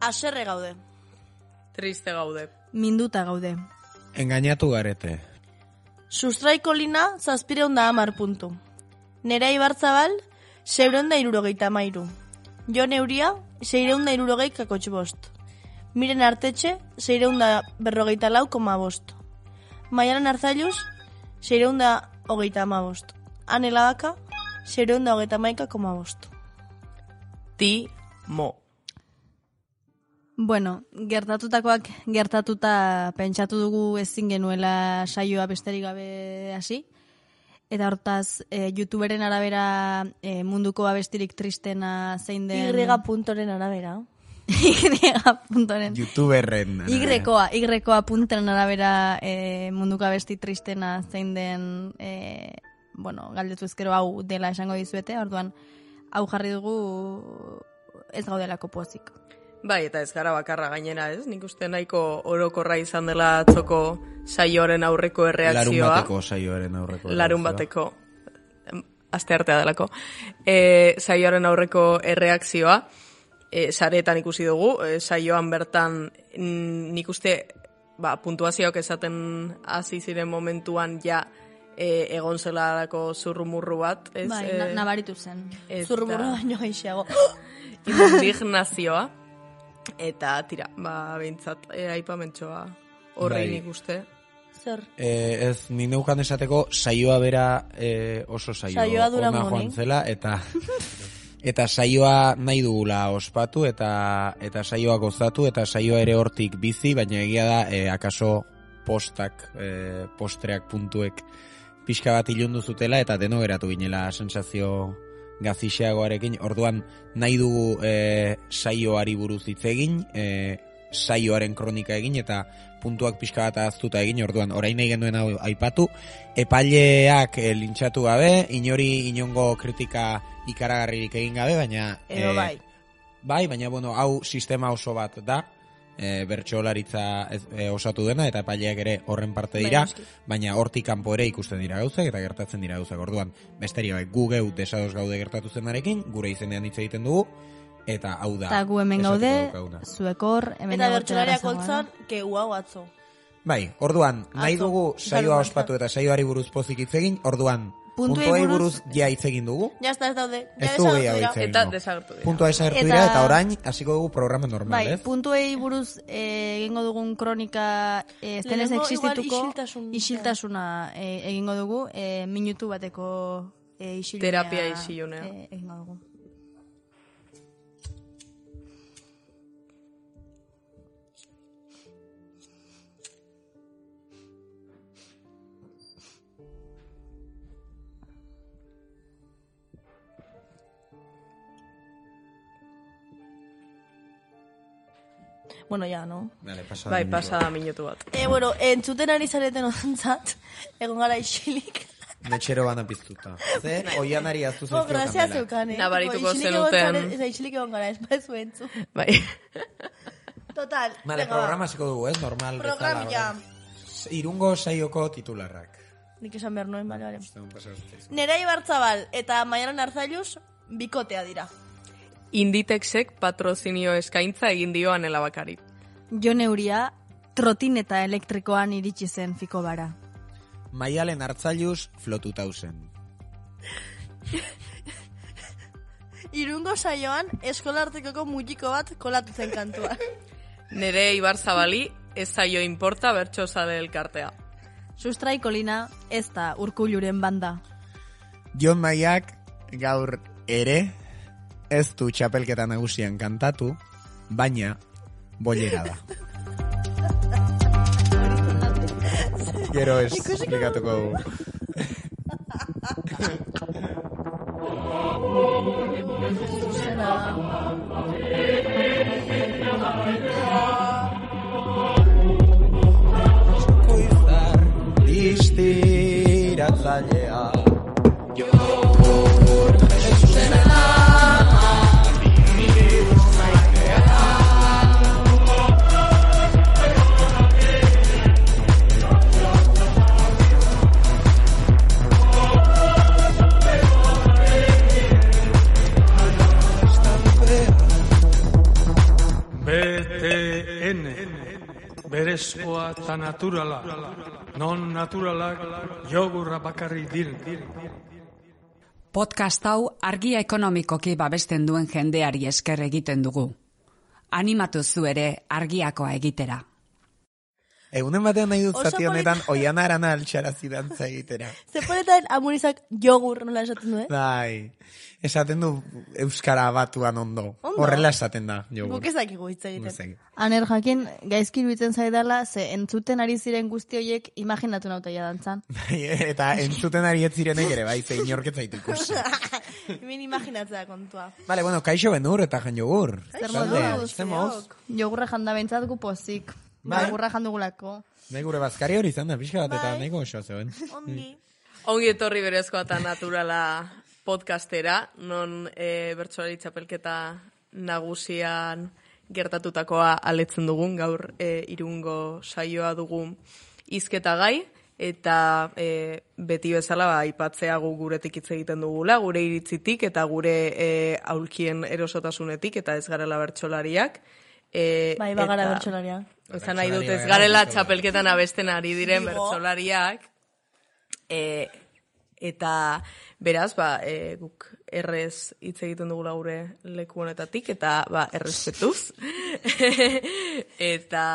Haserre gaude. Triste gaude. Minduta gaude. Engainatu garete. Sustraiko lina 710 puntu. Nerea Ibarzabal 673. Jon Euria 670,5. Miren Artetxe 644,5. Maialen Arzalluz 635. Ane Ladaka 631,5. Timo. Bueno, gertatutakoak gertatuta pentsatu dugu ezin genuela saioa besterik gabe hasi. Eta hortaz, YouTuberen arabera munduko abestirik tristena zein den... Y.ren arabera. Y.ren. YouTuberren arabera. Y.koa punteren arabera munduko abesti tristena zein den... bueno, galdetu ezkero hau dela esango dizuete, orduan hau jarri dugu ez gaudelako pozik. Bai, eta ez gara bakarra gainera, ez? Nik uste nahiko orokorra izan dela atzoko saioaren aurreko erreakzioa. Larun bateko saioaren aurreko erreakzioa. Larun bateko, asteartea delako. Saioaren aurreko erreakzioa, sareetan ikusi dugu, saioan bertan nik uste puntuazioak esaten hasi ziren momentuan ja egon zelarako zurrumurru bat. Ez, bai, nabaritu zen. Zurrumurru baino gaixeago. Indignazioa. Eta tira, behintzat aipamentxoa horrein nik uste. Zer? Ez, ni neukan esateko saioa bera oso saioa ona joan zela, eta saioa nahi dugula ospatu, eta saioa gozatu, eta saioa ere hortik bizi, baina egia da, akaso postreak puntuek pixka bat ilundu zutela, eta deno geratu ginela sensazio gazixeagoarekin, orduan nahi dugu saioari buruz hitz egin, saioaren kronika egin, eta puntuak pixka bat ahaztuta egin, orduan orain nahi genuen hau aipatu, epaileak lintxatu gabe, inongo kritika ikaragarririk egin gabe, baina... Bai, baina bueno, hau sistema oso bat da, bertsolaritza osatu dena, eta epaileak ere horren parte dira, baina hortik kanpo ere ikusten dira gauzak, eta gertatzen dira gauzak. Orduan, besteria bai, gu geu desados gaude gertatu zenarekin, gure izenean hitz egiten dugu, eta hau da. Eta gu hemen gaude, zuekor, hemen eta bertsolariak oltzan, kegu hau atzo. Bai, orduan, nahi dugu saioa ospatu eta saioari buruz pozik hitz egin, orduan, puntuei buruz ja hitz egin dugu. Ja ez daude. Ez du gehiago hitz egin. Eta desagertu dira. Puntua desagertu dira, eta orain hasiko dugu programa normal, ez? Bai, puntuei buruz egingo dugun kronika zenez existituko isiltasuna egingo dugu, minutu bateko isilunea. Terapia isilunea. Egingo dugu. Bueno, ya, no? Vale, pasada minutu bat. Bueno, entzuten ari zareten ontzat, egon gara isilik. Metxero bana piztuta. Ze, oianari aztu zaizkio kamela. Grazia zeukan, Nabarituko zenuten. Isilik egon gara, ez baezu entzu. Bai. Total. Vale, programa hasiko dugu, ez? Normal. Programia. Irungo saioko titularrak. Nik esan behar nuen, bale. Nerea Ibarzabal eta Maialen Arzalluz bikotea dira. Inditexek patrozinio eskaintza egin dio Anela Bakari. Jon Euria trotineta elektrikoan iritsi zen fiko bara. Maialen Arzalluz flotuta zen. Irungo saioan eskolartekoko mutiko bat kolatu zen kantua. Nerea Ibarzabali ez zaio inporta bertsozale elkartea. Sustraiko lina ez da Urkulluren banda. Jon Maiak gaur ere ez du txapelketa nagusian kantatu, baina bollera da. Gero ez esplikatuko dugu. Koizar distiratzailea berezkoa eta naturala. Non naturalak jogurra bakarrik diren. Podcast hau argia ekonomikoki babesten duen jendeari esker egiten dugu. Animatu zu ere argiakoa egitera. Egunen batean nahi dut zati honetan Oiana Arana altxarazi dantza egitera. Zeponetan amurizak jogur nola esaten du, Bai, esaten du euskara batuan ondo. Horrela esaten da, jogur. Guk ez dakigu hitz egiten. Aner jakin, gaizki iruditzen zaidala, ze entzuten ari ziren guzti horiek imaginatu nautaia dantzan. Eta entzuten ari ez zirenek ere, bai, ze inorketzaitu ikusi. Min imaginatzea kontua. Vale, bueno, kaixo benur eta jan jogur. Zer moduz? Jogurra janda bentzat gu pozik. Jogurra jandugulako. Nahi gure bazkari hori izan da, pixka bat eta nahiko oso zeuen. Ongi etorri berezkoa eta naturala podcastera, non bertsolari txapelketa nagusian gertatutakoa aletzen dugun, gaur Irungo saioa dugu hizketa gai, eta beti bezala aipatzea gu guretik hitz egiten dugula, gure iritzitik eta gure aulkien erosotasunetik, eta ez garela bertsolariak. Bai, bagara bertsolariak. Ezan nahi dut, ez garela txapelketan abesten ari diren bertsolariak, eta beraz, guk errez hitz egiten dugula gure leku honetatik, eta errespetuz. Eta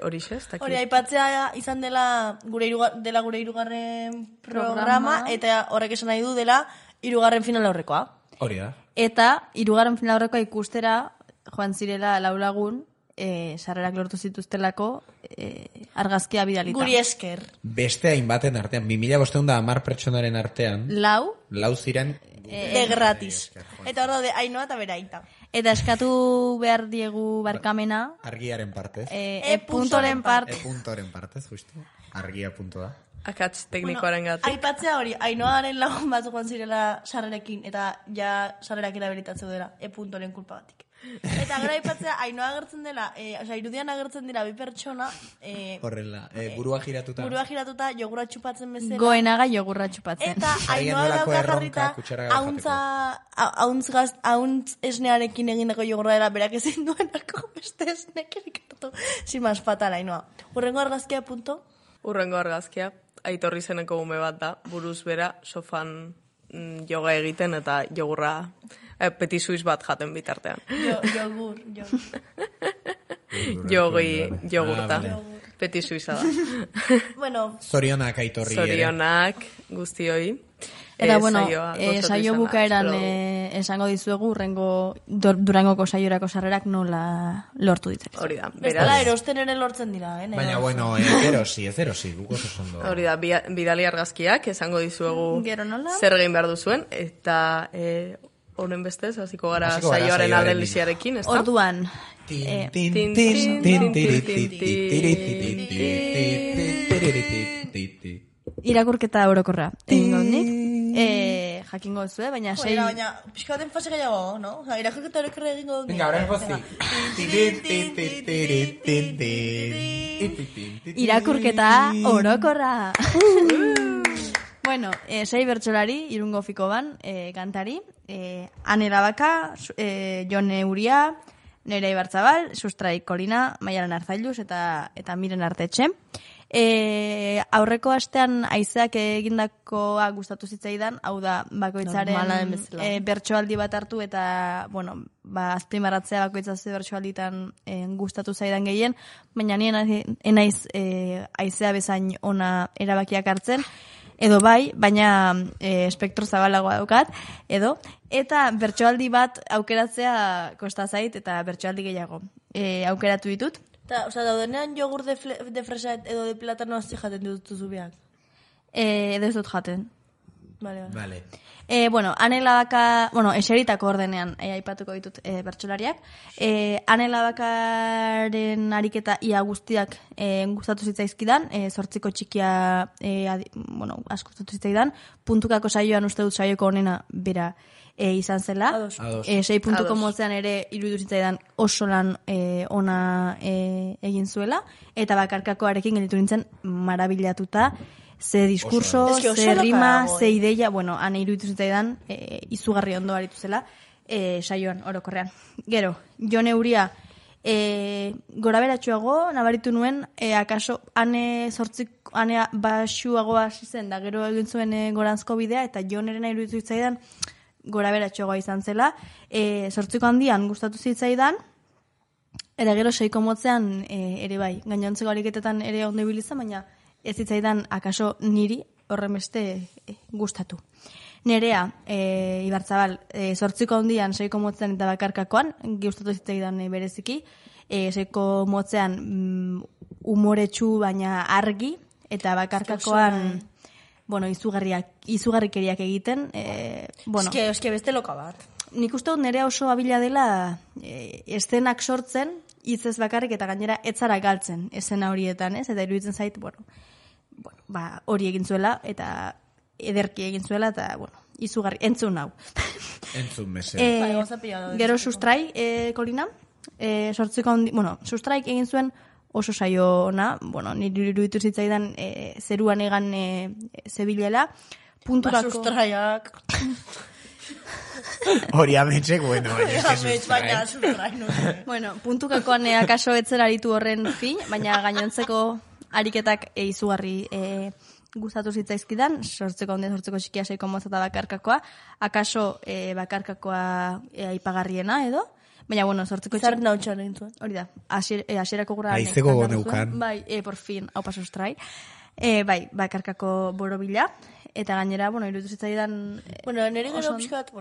horixe, ez dakit. Hori, aipatzea izan dela gure hirugarren programa, eta horrek esan nahi du dela hirugarren final aurrekoa. Hori da. Eta hirugarren final aurrekoa ikustera joan zirela laulagun, sarrerak lortu zituztelako argazkia bidalita. Guri esker. Beste hainbaten artean, 2510 pertsonaren artean, lau ziren de gratis. Eta hor daude, Ainoa eta beraita. Eta eskatu behar diegu barkamena. Argiaren partez. E.ren partez. E.ren partez, justu. Argia punto da. Akats teknikoaren gatik. Aipatzea hori, Ainoaren lagun bat joan zirela sarrerekin, eta ja sarrerak erabilitatzeu dela, E.ren kulpa batik. Eta gara aipatzea, Ainoa agertzen dela, irudian agertzen dira bi pertsona, horrela, burua giratuta, jogurra txupatzen bezala. Goenaga jogurra txupatzen. Eta Ainoa dauka jarrita, hauntz esnearekin egindako jogurra dela, berak ezin duenako beste esnekerik hartu. Simaz, fatal, Ainoa. Urrengo argazkia punto? Urrengo argazkia, Aitorri zeneko ume bat da, buruz bera, sofan yoga egiten eta jogurra, petit suiz bat jaten bitartean. Jogurta. Petit suiza da. Bueno. Zorionak Aitorri ere. Zorionak guztioi. Eta bueno, saio bukaeran esango dizuegu Durangoko saiorako sarrerak nola lortu ditzen. Hori da. Bestela erosten ere lortzen dira, Baina bueno, erosi, guk oso zondo. Hori da, bidali argazkiak esango dizuegu zer egin behar duzuen, eta honen bestez, hasiko gara saioaren aldeliziarekin, ez da? Orduan. Irakurketa orokorra. Jakingo zuen, baina sei... Baina, pixka baten fase gehiago, no? Irakurketa orokorra egingo dut. Venga, ahora pozik. Irakurketa orokorra. Bueno, sei bertsolari, Irungo Fikoban, kantari, Ane Labaka, Jone Uria, Nerea Ibarzabal, Sustrai Kolina, Maialen Arzailuz eta Miren Artetxe. Aurreko astean haizeak egindakoa gustatu zitzaidan, hau da bakoitzaren bertsoaldi bat hartu eta, bueno, azpimarratzea bakoitzazio bertsoalditan gustatu zaidan gehien, baina nien enaiz haizea bezain ona erabakiak hartzen, edo bai, baina espektro zabalagoa daukat, eta bertsoaldi bat aukeratzea kosta zait eta bertsoaldi gehiago aukeratu ditut. Osa, daudenean jogur de fresa edo de platano hasi jaten dutuzu biak? Edo ez dut jaten. Vale. Bueno, Ane Labaka, eseritako ordenean aipatuko ditut bertsolariak. Ane Labakaren ariketa ia guztiak gustatu zitzaizkidan, 8 txikia asko gustatu zitzaidan, puntukako saioan uste dut saioko honena bera izan zela. 6 puntuko motzean ere iruditu zitzaidan oso lan ona egin zuela, eta bakarkakoarekin gelditu nintzen marabilatuta, ze diskurso, ze rima, ze ideia, ane iruditu zitzaidan izugarri ondo aritu zela saioan orokorrean. Gero, Jone Uria Gora beratxuago, nabaritu nuen, akaso ane basuago hasi zen, da gero egin zuen goranzko bidea, eta Joneren iruditu zitzaidan gora beratxuagoa izan zela. 8ko handian gustatu zitzaidan, eta gero 6ko motzean ere bai, gainontzeko ariketetan ere ondo ibilizan, baina ez zitzaidan akaso niri horren beste gustatu. Nerea, Ibarzabal, 8ko handian 6ko motzean eta bakarkakoan, gustatu zitzaidan bereziki, 6ko motzean umoretsu baina argi, eta bakarkakoan, bueno, izugarrikeriak egiten. Eske beste loka bat. Nik uste dut nerea oso abila dela eszenak sortzen, hitzez bakarrik eta gainera etzara galtzen eszena horietan, ez? Eta iruditzen zait, hori egin zuela, eta ederki egin zuela, eta, izugarri, entzun hau. Entzun mese. Gero sustrai, Kolina, 8ko handi, sustraik egin zuen oso saio ona, niri iruditu zitzaidan zeruan egan zebilela, punturako... Sustraiak... Hori ametxek, baina sustrai, no sé. Puntukakoan akaso etzen aritu horren fin, baina gainontzeko ariketak izugarri gustatu zitzaizkidan, 8ko handia, 8ko txikia, 6ko motza eta bakarkakoa, akaso bakarkakoa aipagarriena edo, baina, 8ko txikia... Zarren hau txan egin zuen. Hori da, asierako gura... Aizeko goneukan. Bai, por fin, hau paso sustrai. Bai, bakarkako borobila, eta gainera, iruditu zitzaidan... Nire gero pixkat,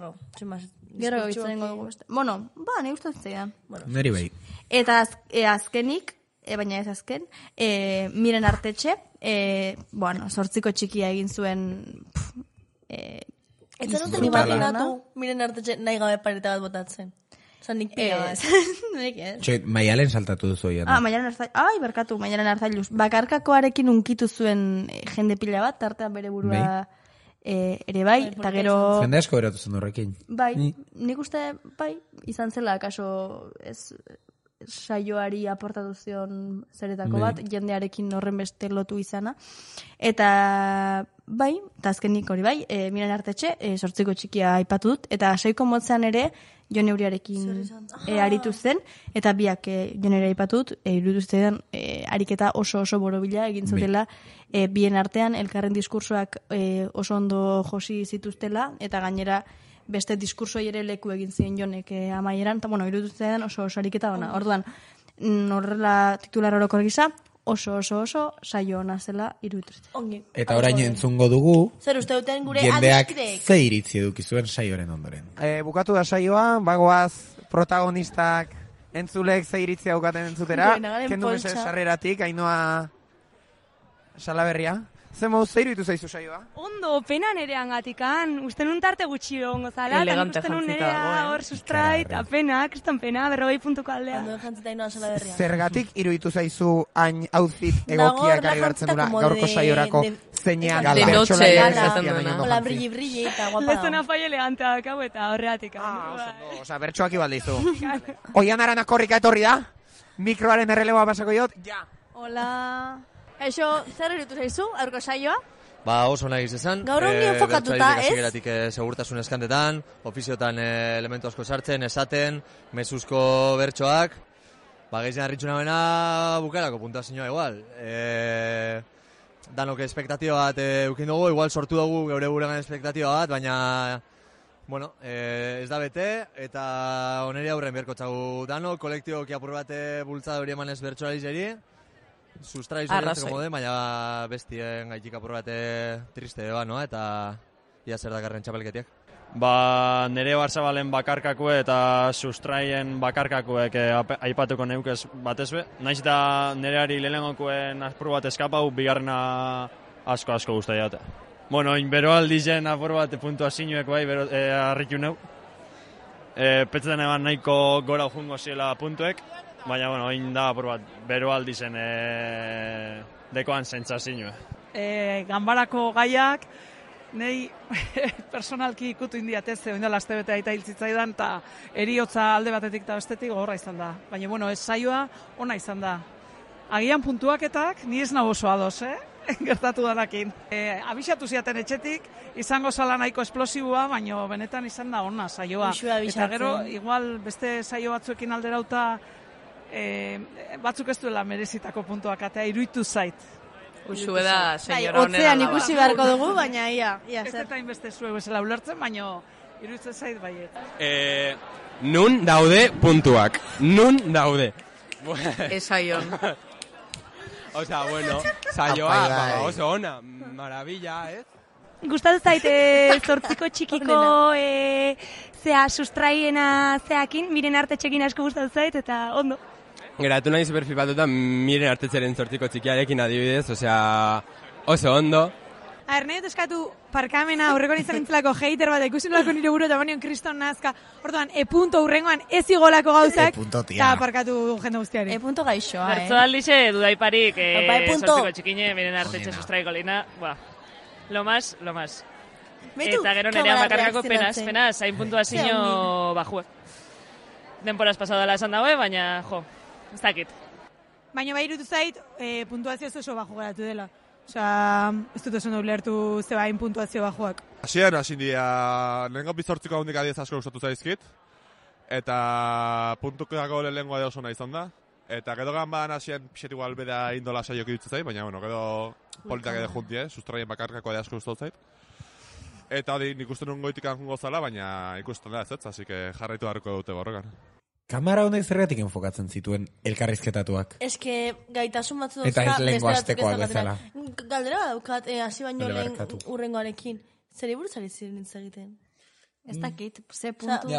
Gero bitzen dugu beste. Nire uste zitzaidan. Neri bai. Eta azkenik, baina ez azken, Miren Artetxe, 8ko txikia egin zuen... Eta noten imaginatu, Miren Artetxe nahi gabe pareta bat botatzen. Nik pila bat. Nik ez. Maialen saltatu duzu oian. Maialen Arzailuz. Maialen Arzailuz. Bakarkakoarekin unkitu zuen jende pila bat, tartean bere burua ere bai, eta gero... Jende asko beratu zen horrekin. Bai, nik uste, izan zela, kaso saioari aportatu zion zeretako bat, jendearekin horren beste lotu izana. Eta eta azkenik hori bai, Miren Artetxe, 8ko txikia aipatu dut, eta 6ko motzean ere, Jon Euriarekin aritu zen, eta biak Jon Euria aipatu dut, iruditu zitzaidan ariketa oso borobila egin zutela, bien artean elkarren diskursoak oso ondo josi zituztela, eta gainera beste diskursoi ere leku egin ziren Jonek amaieran, eta iruditu zitzaidan oso ariketa ona. Orduan, horrela titular orokor gisa, oso saio ona zela iruditu zitzaidan. Eta orain entzungo dugu, zer uste duten gure jendeak adiskidek. ze iritzi eduki zuen saioaren ondoren. Bukatu da saioa, bagoaz protagonistak entzulek ze iritzia daukaten entzutera. Kendu mese sarreratik, Ainhoa Salaberria. Zer moduz ze iruditu zaizu saioa? Ondo, pena nerean gatikan. Uste nun tarte gutxi egongo zala. Elegante uste nun jantzita nerea dago, hor sustrait, pena, kriston pena, 40 puntuko aldea. Ondo jantzita Ainhoa Salaberria. Zergatik iruditu zaizu hain outfit egokia ekarri hartzen dura gaurko saiorako zeinean De noche esaten duena. Hola, brilli, eta guapa. Lezona fai elegantea dakau eta horreatik. Osa, bertsoak ibaldizu. Oian Arana korrika etorri da, mikroaren erreleboa pasako jot, ja. Hola. Eixo, zer iruditu zaizu, aurko saioa? Oso nahi izan. Gaur honi enfokatuta, ez? Segurtasun eskantetan, ofiziotan elementu asko sartzen, esaten, mezuzko bertsoak, gehizien harritxuna bena bukarako puntuazioa igual. Danok espektatioa bat eukin dugu, igual sortu dugu geure buruan espektatioa bat, baina ez da bete, eta oneri aurren berko txagu danok, kolektiboki apur bate bultzada hori emanez bertsolari sustrai zorientzeko mode, baina bestien gaitik apur bate triste eta ia zer dakarren txapelketiak. Nere Barzabalen bakarkakue eta sustraien bakarkakuek aipatuko neukez batezbe. Naiz eta nereari lehenengokuen apur bat eskapau, bigarrena asko guztai jate. Bero aldizen apur bat puntuazioek bai, harritu neu. Petzetan eban nahiko gora ujungo ziela puntuek, baina, oin da apur bat, bero aldizen dekoan sentsazioa. Ganbarako gaiak, nei personalki ikutu indiatez, oindala astebete aita hiltzitzaidan, eta eriotza alde batetik eta bestetik gogorra izan da. Baina, ez saioa ona izan da. Agian puntuaketak, ni ez nago oso ados, gertatu danakin. Abixatu ziaten etxetik, izango zala nahiko esplosibua, baina benetan izan da ona saioa. Eta gero, igual beste saio batzuekin alderauta batzuk ez duela merezitako puntuak atea, iruditu zait. Usue da, senyora honera Otzean ikusi beharko dugu, baina ia ez eta inbeste zuek bezala ulertzen, baina iruditzen zait baiet. Nun daude puntuak. Nun daude. Esaion. Osea, bueno, saioa oso ona, maravilla, ez? Gustatu zait, zortziko txikiko sustraiena zeakin, miren artetxekin asko gustatu zait, eta ondo. Geratu nahi superflipatuta miren artetzeren zortziko txikiarekin adibidez, osea, oso ondo. Nahi dut eskatu parkamena aurrekoan izan nintzelako hater bat, ikusi nolako nire buru eta banion kriston nazka. Orduan, punto urrengoan ez igolako gauzak, eta parkatu jende guztiari. Punto gaixoa, Bertzoaldixe, dudaiparik, zortziko txikine, miren artetxe sustraiko lina, lo más. Eta gero nerean bakarkako penaz, hain puntuazio bajue. Denporaz pasadala esan daue, baina, ez dakit. Baina bai irutu zait, puntuazio oso bajo geratu dela. Osea, ez dut oso ulertu zebain puntuazio bajoak. Hasieran hasin dira, lehenko bizortziko handik adiez asko gustatu zaizkit, eta puntukako lehengoa da oso nahi izan da. Eta gero ganban hasien pixet igual beda indola saiok idutzen zait, baina bueno, gero politak edo junti, sustraien bakarkako da asko gustatu zait. Eta hori nik uste nun goitik anjungo zala, baina ikusten da ez, así que jarraitu harko dute borrokan. Kamara honek zergatik enfokatzen zituen elkarrizketatuak? Eske gaitasun batzu eta ez lehenko astekoa bezala. Galdera daukat, hasi baino lehen urrengoarekin. Zeri buruz ari ziren hitz egiten? Ez dakit, ze puntu.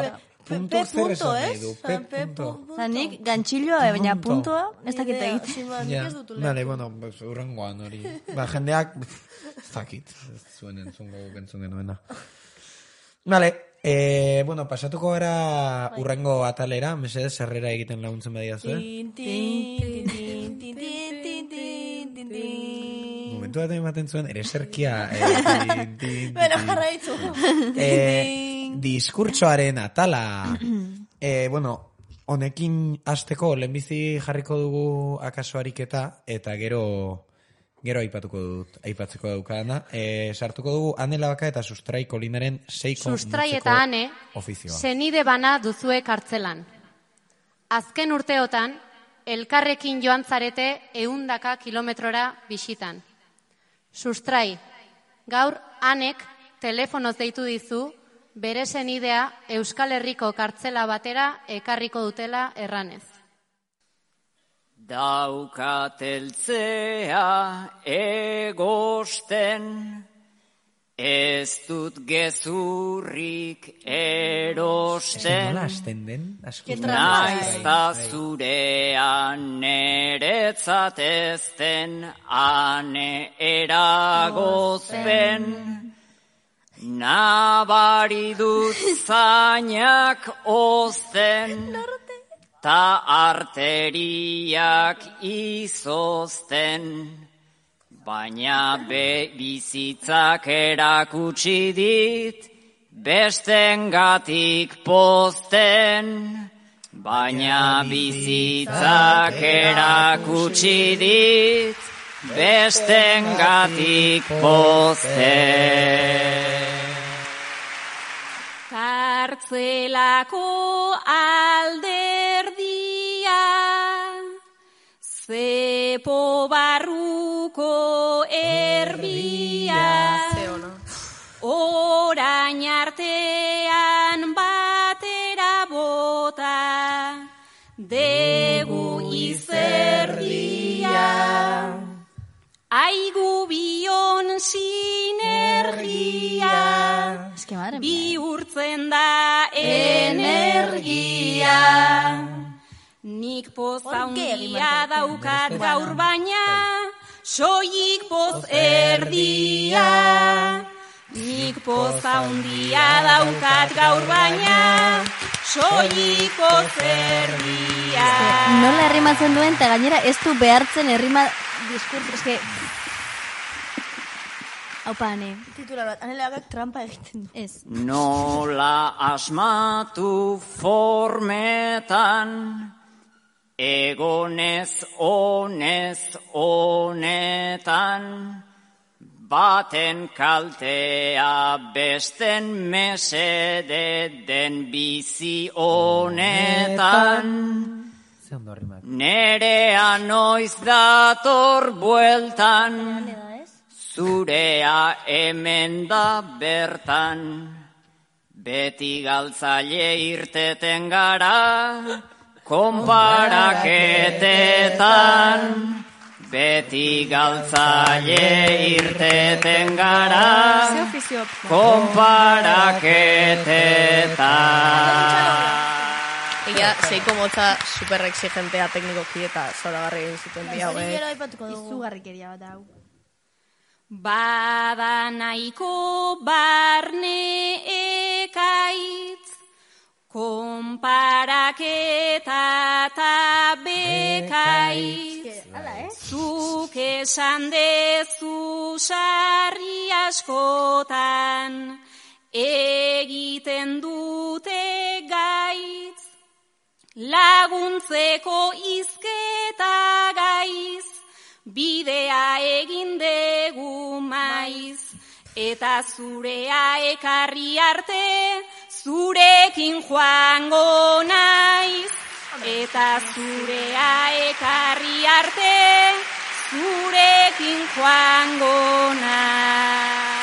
Puntu zer esan nahi du, P punto. Nik gantxilloa, baina puntua, ez dakit egiten. Nale, bueno, urrengoan hori. Jendeak, ez dakit, zuen entzungo bentzun genuena. Nale, bueno, pasatuko gara urrengo atalera, mesedez zerrera egiten laguntzen badia zuen. Momentu bat ematen zuen, ereserkia. Bueno, jarraitzu. Diskurtsoaren atala. Bueno, honekin hasteko lehenbizi jarriko dugu akaso ariketa, eta gero aipatzeko daukadana. Sartuko dugu Ane Labaka eta Sustrai Kolinaren 6 Sustrai eta Ane, senide bana duzue kartzelan. Azken urteotan, elkarrekin joan zarete 100 kilometrora bisitan. Sustrai, gaur Anek telefonoz deitu dizu, bere senidea Euskal Herriko kartzela batera ekarriko dutela erranez. Daukateltzea egosten, ez dut gezurrik erosten, naizta zurean neretzat ezten, ane eragozpen, nabari dut zainak ozten, ta arteriak izozten, baina bizitzak erakutsi dit, bestengatik pozten, baina bizitzak erakutsi dit, bestengatik pozten. Kartzelako alderdia, zepo barruko erbia, orain artean batera bota, degu izerdia. Aigu bion sinergia, bihurtzen da energia. Nik poz handia daukat gaur baina, soilik poz erdia. Nik poz handia daukat gaur baina, soilik poz erdia. Nola errimatzen duen, eta gainera ez du behartzen errima diskurso, eske... Haupa, Ane. Titular bat, Ane Labak trampa egiten. Ez. Nola asmatu formetan, egonez honetan, baten kaltea besten mesede den bizi honetan. Nerea noiz dator bueltan, zurea hemen da bertan. Beti galtzaile irteten gara, konparaketetan. Beti galtzaile irteten gara, konparaketetan. Ella, seiko motza super exigentea teknikoki eta zoragarri egin zuten dia, izugarrikeria bat hau. Bada nahiko barne ekaitz, konparaketa eta bekaitz. Zuk esan dezu sarri askotan, egiten dute gaitz. Laguntzeko izketa gaiz, bidea egin degu maiz, eta zurea ekarri arte, zurekin joango naiz. Eta zurea ekarri arte, zurekin joango naiz.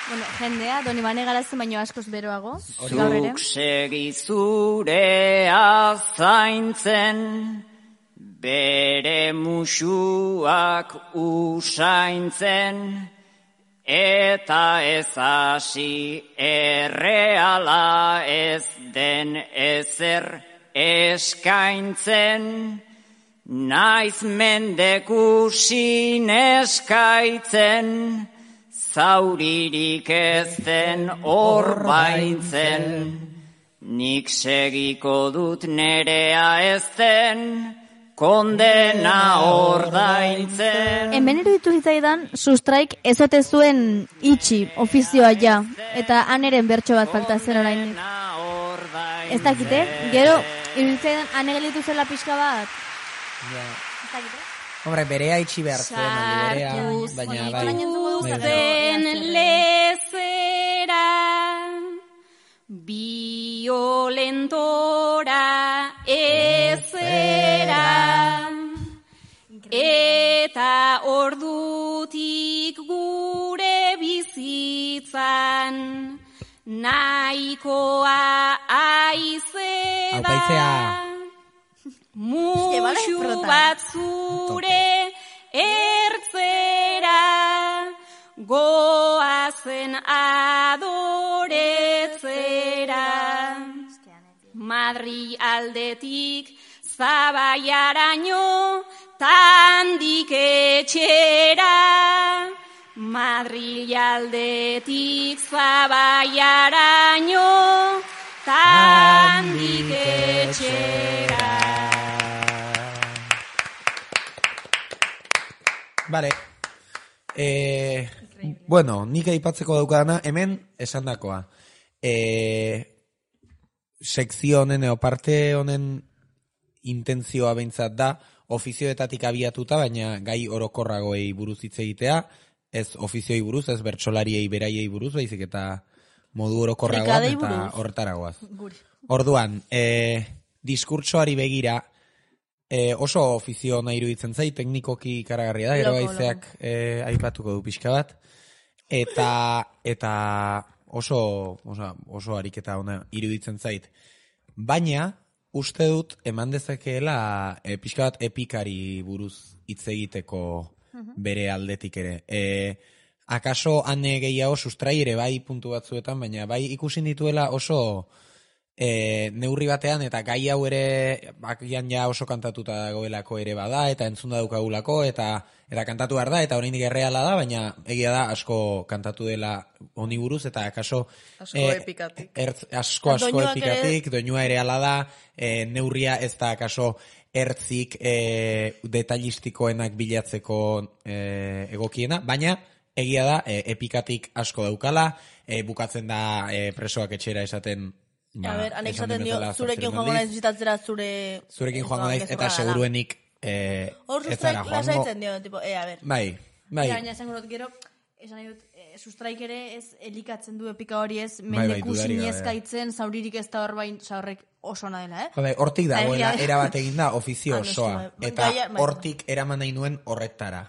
Bueno, jendea, Doni Bane garazen baino askoz beroago. Zuk segi zurea zaintzen, bere musuak usaintzen, eta ez hasi erreala ez den ezer eskaintzen, naiz mendekusin eskaitzen, zauririk ez den orbaintzen, nik segiko dut nerea ez den, kondena ordaintzen. Hemen iruditu zitzaidan, sustraik ezote zuen itxi, ofizioa ja, eta aneren bertso bat falta zen orain. Ez dakite, gero iruditu zitzaidan anegelitu zela pixka bat. Ez dakite? Hombre, berea itxi behar zuen, berea, baina bai. Sartu lezera, violentora ezera, eta ordutik gure bizitzan, nahikoa aizeda. Musu bat zure ertzera, goazen adoretzera. Madri aldetik Zabaiaraino, tandik etxera. Madri aldetik Zabaiaraino, tandik etxera. Vale. Bueno, nik aipatzeko daukadana, hemen esandakoa. Sekzio honen, parte honen intentzioa behintzat da, ofizioetatik abiatuta, baina gai orokorragoei buruz hitz egitea, ez ofizioi buruz, ez bertsolariei beraiei buruz, baizik eta modu orokorragoan eta horretaragoaz. Orduan, diskurtsoari begira, oso ofizio nahi iruditzen zait, teknikoki ikaragarria da, gero haizeak aipatuko du pixka bat, eta oso ariketa ona iruditzen zait. Baina, uste dut, eman dezakeela pixka bat epikari buruz hitz egiteko bere aldetik ere. Akaso ane gehiago sustrai ere bai puntu batzuetan, baina bai ikusi dituela oso neurri batean, eta gai hau ere bakian ja oso kantatuta dagoelako ere bada, eta entzunda daukagulako, eta kantatu behar da, eta oraindik erreala da, baina egia da asko kantatu dela honi buruz, eta akaso asko epikatik. Asko epikatik, doinua ere ala da, neurria ez da akaso ertzik detailistikoenak bilatzeko egokiena, baina egia da epikatik asko daukala, bukatzen da presoak etxera esaten. A ber, anek esaten dio, zurekin joango naiz bizitatzera zurekin joango naiz, eta seguruenik hor sustraik lasaitzen dio, tipo, a ber. Bai. Baina esan gero, Esan nahi dut, sustraik ere ez elikatzen du epika hori ez, mendeku sinezkaitzen, zauririk ez da hor bain, horrek oso ona dela, Jode, hortik dagoela, erabat egin da ofizio osoa, eta hortik eraman nahi nuen horretara.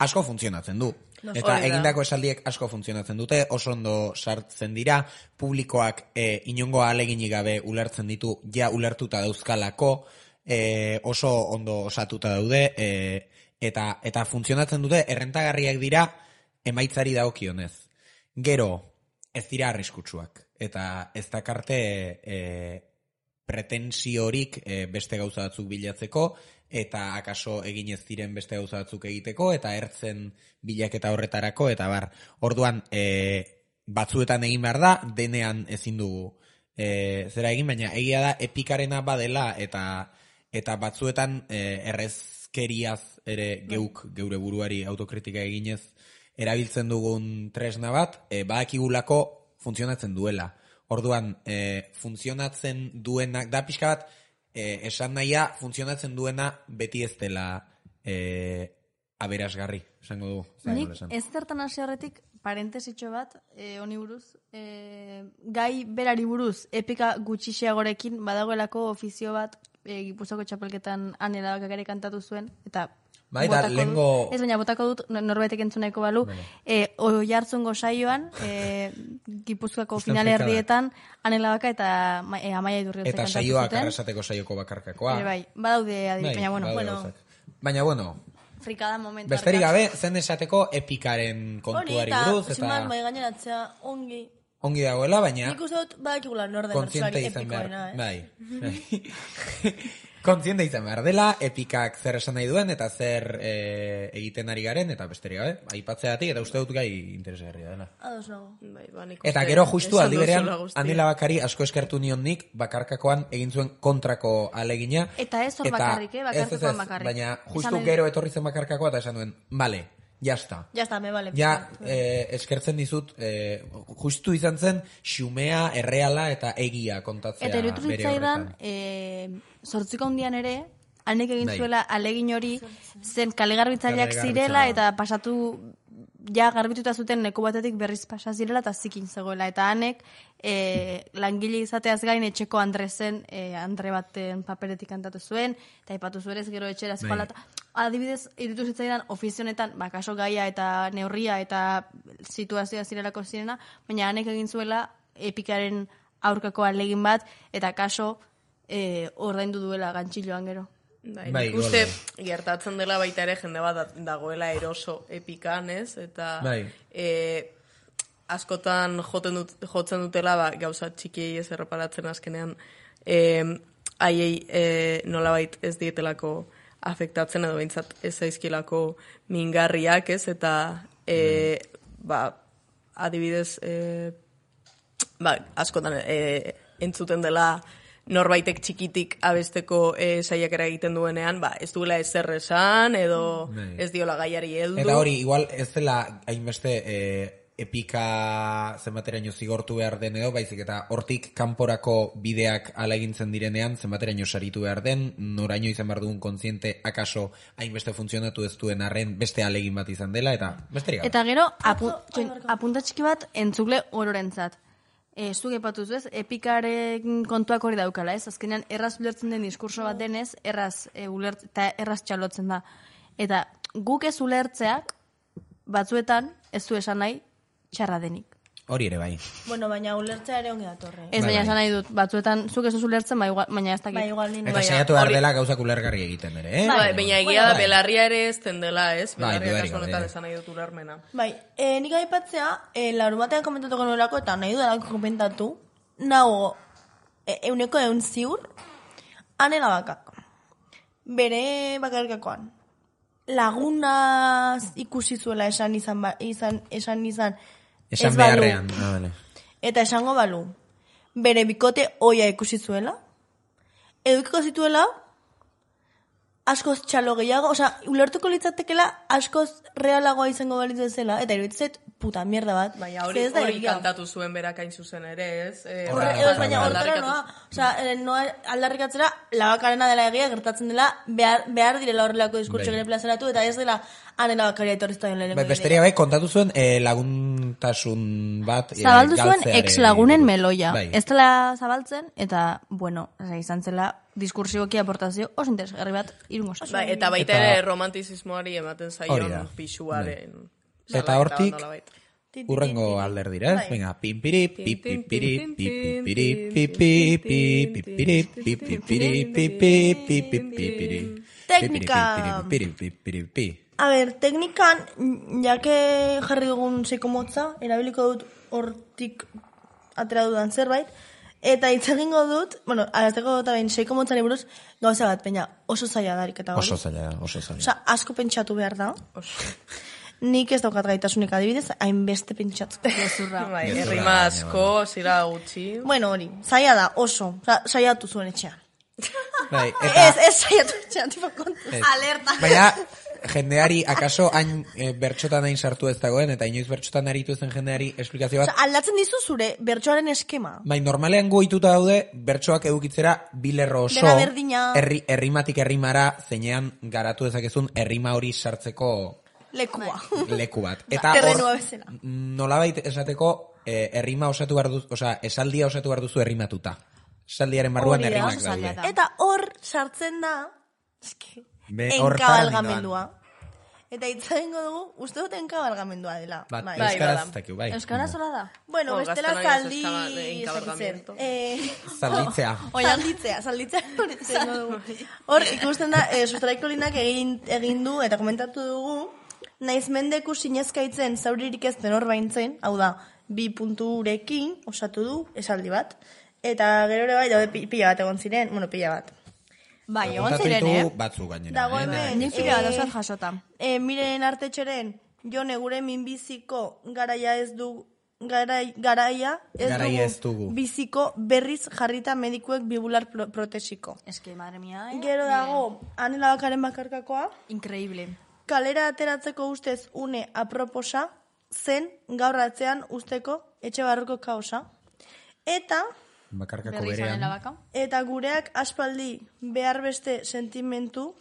Asko funtzionatzen du. Eta egindako esaldiek asko funtzionatzen dute, oso ondo sartzen dira, publikoak inongo ahaleginik gabe ulertzen ditu, ja ulertuta dauzkalako, oso ondo osatuta daude, eta funtzionatzen dute, errentagarriak dira, emaitzari dagokionez. Gero, ez dira arriskutsuak. Eta ez dakarte pretensiorik beste gauza batzuk bilatzeko, eta akaso egin ez diren beste gauza batzuk egiteko, eta ertzen bilaketa horretarako, eta orduan batzuetan egin behar da, denean ezin dugu zera egin, baina egia da epikarena badela, eta batzuetan errezkeriaz ere geure buruari autokritika eginez, erabiltzen dugun tresna bat, badakigulako funtzionatzen duela. Orduan, funtzionatzen duenak, da pixka bat, esan nahia, funtzionatzen duena beti ez dela aberasgarri, esango dugu. Nik ez zertan hasi horretik, parentesitxo bat, honi buruz, gai berari buruz, epika gutxixiagorekin badagoelako ofizio bat, Gipuzkoako txapelketan Anela Bakakari kantatu zuen, eta bai, da, lengo... Ez baina, botako dut, norbaitek entzuneko balu, Oiartzungo saioan, Gipuzkoako final herrietan, Anela Baka eta Amaia Idurriotzek kantatu zuten. Eta saioak arrasateko saioko bakarkakoa. Bai, badaude adit, baina bueno. Frikada momentu. Besterik gabe, zen esateko epikaren kontuari buruz. Hori, eta ziman bai gaineratzea ongi dagoela, baina... Nik uste dut badakigula norden bertsuari epikoena, Bai. Kontziente izan behar dela, epikak zer esan nahi duen, eta zer egiten ari garen, eta besterik gabe, aipatzeatik, eta uste dut gai interesgarria dela. Ados nago. Eta gero justu aldi berean, Anela Bakari asko eskertu nion nik, bakarkakoan egin zuen kontrako alegina. Eta ez hor bakarrik, bakarkakoan bakarrik. Baina justu gero etorri zen bakarkakoa, eta esan duen, bale, ya está. Me vale. Ja, eskertzen dizut, justu izan zen, xumea, erreala eta egia kontatzea bere horretan. Eta erutuzitzaidan, sortziko handian ere, hanek egin zuela alegin hori, zen kalegarbitzaileak zirela, eta pasatu, ja garbituta zuten leku batetik berriz pasa zirela, eta zikin zegoela. Eta hanek, langile izateaz gain etxeko Andresen, Andre baten paperetik kantatu zuen, eta ipatu zuerez gero etxera espalata. Adibidez, irutu zitzaidan ofizionetan, kaso gaia eta neurria eta situazioa zirelako zirena, baina hanek egin zuela epikaren aurkako alegin bat, eta kaso ordaindu duela gantxiloan gero. Bai, uste gertatzen dela baita ere jende bat dagoela eroso epikan, ez? Eta askotan jotzen dutela gauza txikiei ez erreparatzen azkenean haiei nolabait ez dietelako afektatzen edo behintzat ez zaizkilako mingarriak, ez? Eta adibidez askotan entzuten dela norbaitek txikitik abesteko saiakera egiten duenean, ez duela ezer esan, edo ez diola gaiari heldu. Eta hori, igual ez dela hainbeste epika zenbateraino zigortu behar den edo, baizik eta hortik kanporako bideak ala egintzen direnean, zenbateraino saritu behar den, noraino izan behar dugun kontziente, akaso hainbeste funtzionatu ez duen arren beste alegin bat izan dela, eta besterik. Eta gero, apunta txiki bat entzule ororentzat. Zuk epatuz bez, epikaren kontuak hori daukala, ez? Azkenean, erraz ulertzen den diskurso bat denez, erraz txalotzen da. Eta guk ez ulertzeak, batzuetan, ez du esan nahi, txarra denik. Hori ere bai. Bueno, baina ulertzea ere ongi datorre. Ez, baina esan nahi dut, batzuetan, zuk ez ulertzen, baina ez dakit. Eta saiatu behar dela gauzak ulergarri egiten ere, eh? Baina egia da, belarria ere ez dela, ez? Belarria kaso honetan esan nahi dut ulermena. Bai, nik aipatzea, larun batean komentatuko nuelako, eta nahi dudalako komentatu, nago, euneko ziur, Anela Bakak. Bere bakarkakoan. Lagunaz ikusi zuela esan beharrean. Eta esango balu. Bere bikote oia ikusi zuela. Edukiko zituela askoz txalo gehiago, ulertuko litzatekela askoz realagoa izango balitz bezala, eta iruditzet puta mierda bat. Baina hori kantatu zuen berakain zuzen ere, ez? Baina hortara noa aldarrikatzera, labakarena dela egia, gertatzen dela, behar direla horrelako diskurtso gire plazaratu, eta ez dela anela bakaria etorrizta den lehenengo. Besteria kontatu zuen laguntasun bat zabaldu zuen ex-lagunen meloia. Ez dela zabaltzen, eta, bueno, izan zela diskursiboki aportazio oso interesgarri bat irungo zazu. Eta baita ere romantizismoari ematen zaion pixuaren. Eta hortik urrengo alder dira, ez? Venga, pimpiri, pipipiri, pipipiri, pipipiri, pipipiri, pipipiri, pipipiri. A ber, teknikan, jake jarri dugun sekomotza, erabiliko dut hortik atera dudan zerbait, eta hitz egingo dut, arazteko dut behin seikomotzari buruz, gauza bat, peina, oso zaila darik eta hori. Oso zaila. Asko pentsatu behar da. Nik ez daukat gaitasunik adibidez, hainbeste pentsatu. Errima asko, zira gutxi. Bueno, hori, zaila da, oso. Zaiatu zuen etxean. Ez zaiatu etxean, tipo kontuz. Alerta. Baina, jendeari, akaso hain bertxotan hain sartu ez dagoen, eta inoiz bertxotan aritu ezen jendeari esplikazio bat. Aldatzen dizu zure bertxoaren eskema. Bai, normalean goituta daude, bertxoak edukitzera bilerro oso, errimatik errimara, zeinean garatu dezakezun errima hori sartzeko leku bat. Eta nolabait esateko errima osatu behar duzu, esaldia osatu behar duzu errimatuta. Esaldiaren barruan errimak daude. Eta hor sartzen da, enkabalgamendua. Eta itzaingo dugu, uste dut enkabalgamendua dela. Euskaraz zakiu, bai. Euskaraz hola da? Bueno, bestela zaldi... Zalditzea. Hor, ikusten da, Sustraiko linak egin du, eta komentatu dugu, naiz mendeku sinezkaitzen zauririk ez den hor baintzen, hau da, 2 punturekin osatu du esaldi bat, eta gero ere bai, daude pila bat egon ziren, pila bat. Bai, egon ziren, batzu gainera. Dago hemen, nik pila bat osat jasota. Miren Artetxeren, jone gure minbiziko garaia ez dugu biziko berriz jarrita medikuek bibular protesiko. Eske, madre mia, Gero dago, Anela Bakaren bakarkakoa. Increíble. Kalera ateratzeko ustez une aproposa, zen gaur atzean usteko etxe barruko kaosa. Eta bakarkako berean. Eta gureak aspaldi behar beste sentimentu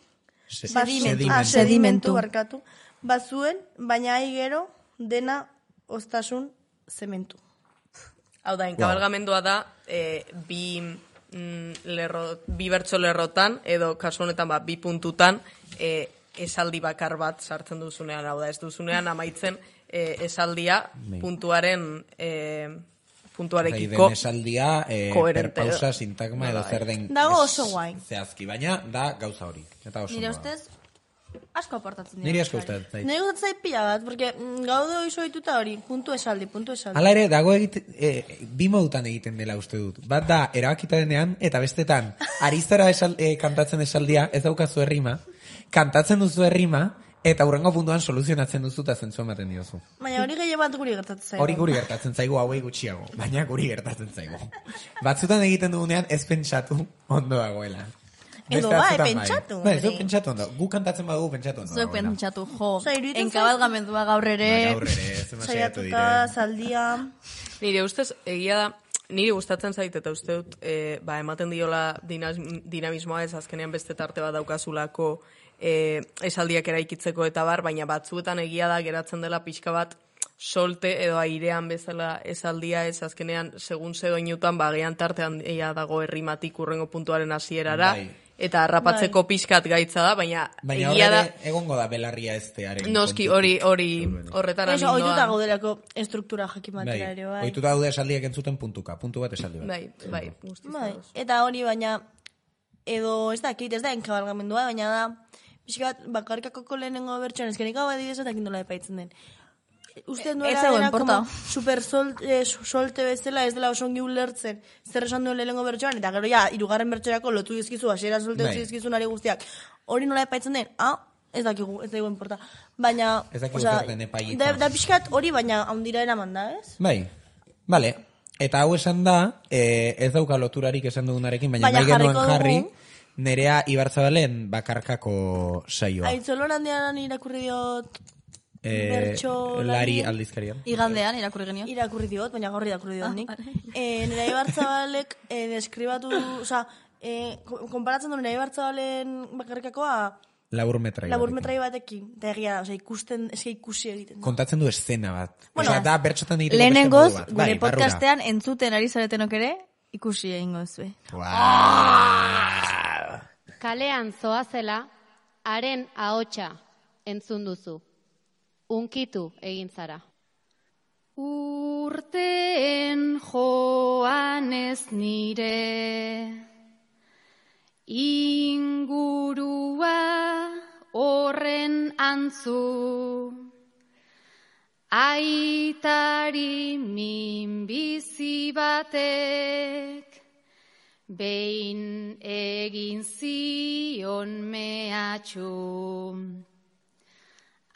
sedimentu barkatu bazuen, baina gero dena ostasun zementu. Hau da, enkabalgamendua da bi bertso lerrotan, edo kasu honetan 2 puntutan esaldi bakar bat sartzen duzunean, hau da, ez duzunean amaitzen esaldia puntuaren puntuarekiko esaldia perpausa, sintagma edo zer den dago oso guai zehazki, baina da gauza hori. Nire ustez asko aportatzen dira. Nire asko ustetzen zait. Nire gustatzen pila bat, porque gaude hori soituta hori, puntu esaldi. Hala ere, dago bi modutan egiten dela uste dut. Bat da, erabakita denean, eta bestetan, ariztara kantatzen esaldia, ez daukazu errima, kantatzen duzu errima, eta hurrengo puntuan soluzionatzen duzu eta zentzu ematen diozu. Baina hori gehien bat guri gertatzen zaigu. Hori guri gertatzen zaigu, hauei gutxiago, baina guri gertatzen zaigu. Batzutan egiten dugunean ez pentsatu ondo dagoela. Edo pentsatu. Zu pentsatu ondo. Gu kantatzen badugu pentsatu ondo. Zu pentsatu, jo. Enkabalgamendua gaur ere. Saiatuka, zaldia. Nire ustez, egia da, niri gustatzen zait eta uste dut, ematen diola dinamismoa ez azkenean beste tarte bat daukazulako esaldiak eraikitzeko eta bar, baina batzuetan egia da geratzen dela pixka bat solte edo airean bezala esaldia ez azkenean segun zedoinutan bagean tartean dago errimatik urrengo puntuaren hasierara eta harrapatzeko pixkat gaitza da, baina egia da egongo da belarria eztearen. Noski hori horretara nindoa. Oituta gaudelako estruktura jakin batera ere, bai. Oituta gaude esaldiak entzuten puntu bat esaldi bat. Bai, eta hori baina edo ez da enkabalgamendua, baina da pixkat bakarkakoko lehenengo bertxoan ezkenik hau adibidez eta kindola epaitzen den. Uste duela dena como super solte bezala ez dela osongi ulertzen zer esan duen lehenengo bertxoan eta gero ja, 3. bertxorako lotu dizkizu, hasiera solte utzi dizkizu nari guztiak. Hori nola epaitzen den? Ez dakigu, ez dakigu enporta. Baina, da pixkat hori baina handira eraman da, ez? Bai, bale. Eta hau esan da, ez dauka loturarik esan dugunarekin, baina nahi genuen jarri, Nerea Ibarzabalen bakarkako saioa. Aitzolon handian irakurri diot bertso Lari aldizkarian. Igandean irakurri genio. Irakurri diot, baina gaur irakurri diot nik. Nerea Ibarzabalek deskribatu, oza, konparatzen du Nerea Ibarzabalen bakarkakoa Laburmetrai batekin. Eta egia, oza, ikusi egiten. Kontatzen du escena bat. Oza, da bertxotan egiteko lehenengoz, gure podcastean entzuten ari zaretenok ere, ikusi egingo zue. Kalean zoazela, haren ahotsa entzun duzu. Unkitu egin zara. Urteen joan ez nire, ingurua horren antzu, aitari minbizi batek, behin egin zion mehatxu.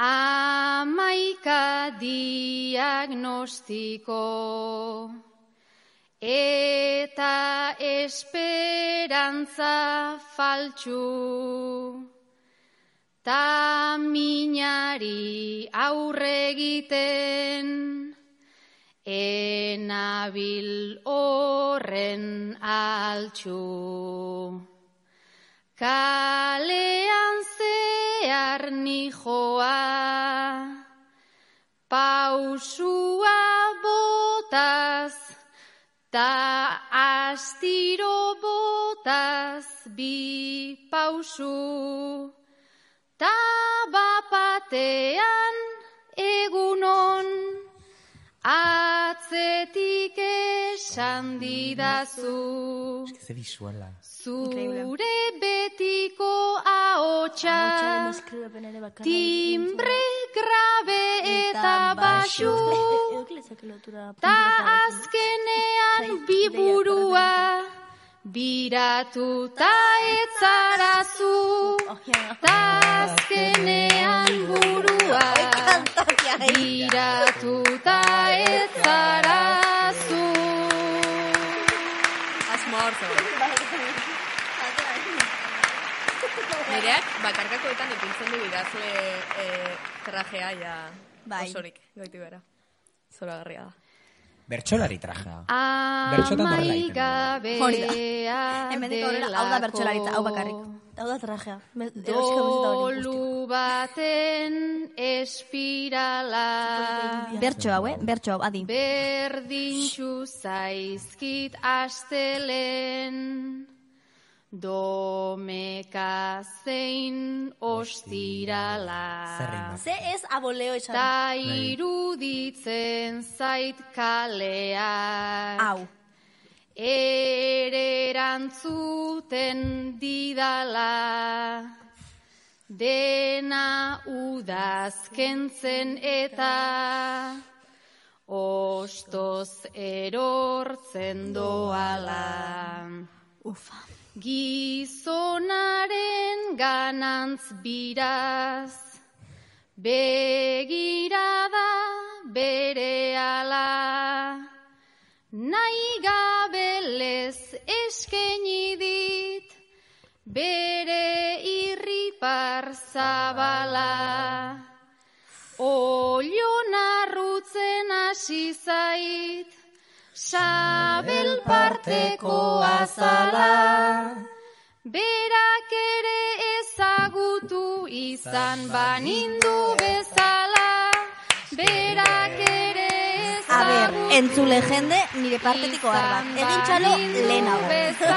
11 diagnostiko eta esperantza faltsu, ta minari aurre egiten, enabil horren altxu. Kalean zehar nijoa, pausua botaz, ta astiro botaz bi pausu, ta bapatean egunon, atzetik esan didazu. Zure betiko ahotsa, timbre grabe eta baxu, ta azkenean biburua, biratu ta etzarazu, ta azkenean burua, biratu ta etzarazu. Asmo hartu. Nereak bakarkakoetan ipintzen du idazle trajea ja osorik goiti bera. Zoragarria da. Bertsolari trajea. Bertxotan horrela egiten. Hori da. Hemendik aurrera, hau da bertsolaritza, hau bakarrik. Hau da trajea. Dolu baten espirala. Bertxo hau, bertxo hau, adi. Berdintxu zaizkit astelen, domeka zein ostirala. Ze ez aboleo esan. Ta iruditzen zait kaleak. Hau. Erantzuten didala, dena udazkentzen eta ostoz erortzen doala. Ufa. Gizonaren ganantz biraz, begirada berehala, nahi gabelez eskaini dit, bere irripar zabala. Olio narrutzen hasi zait, sabel parteko azala. Berak ere ezagutu izan banindu bezala. Berak ere ezagutu. Entzule jende, nire partetiko arbat. Egin txalo lehenago.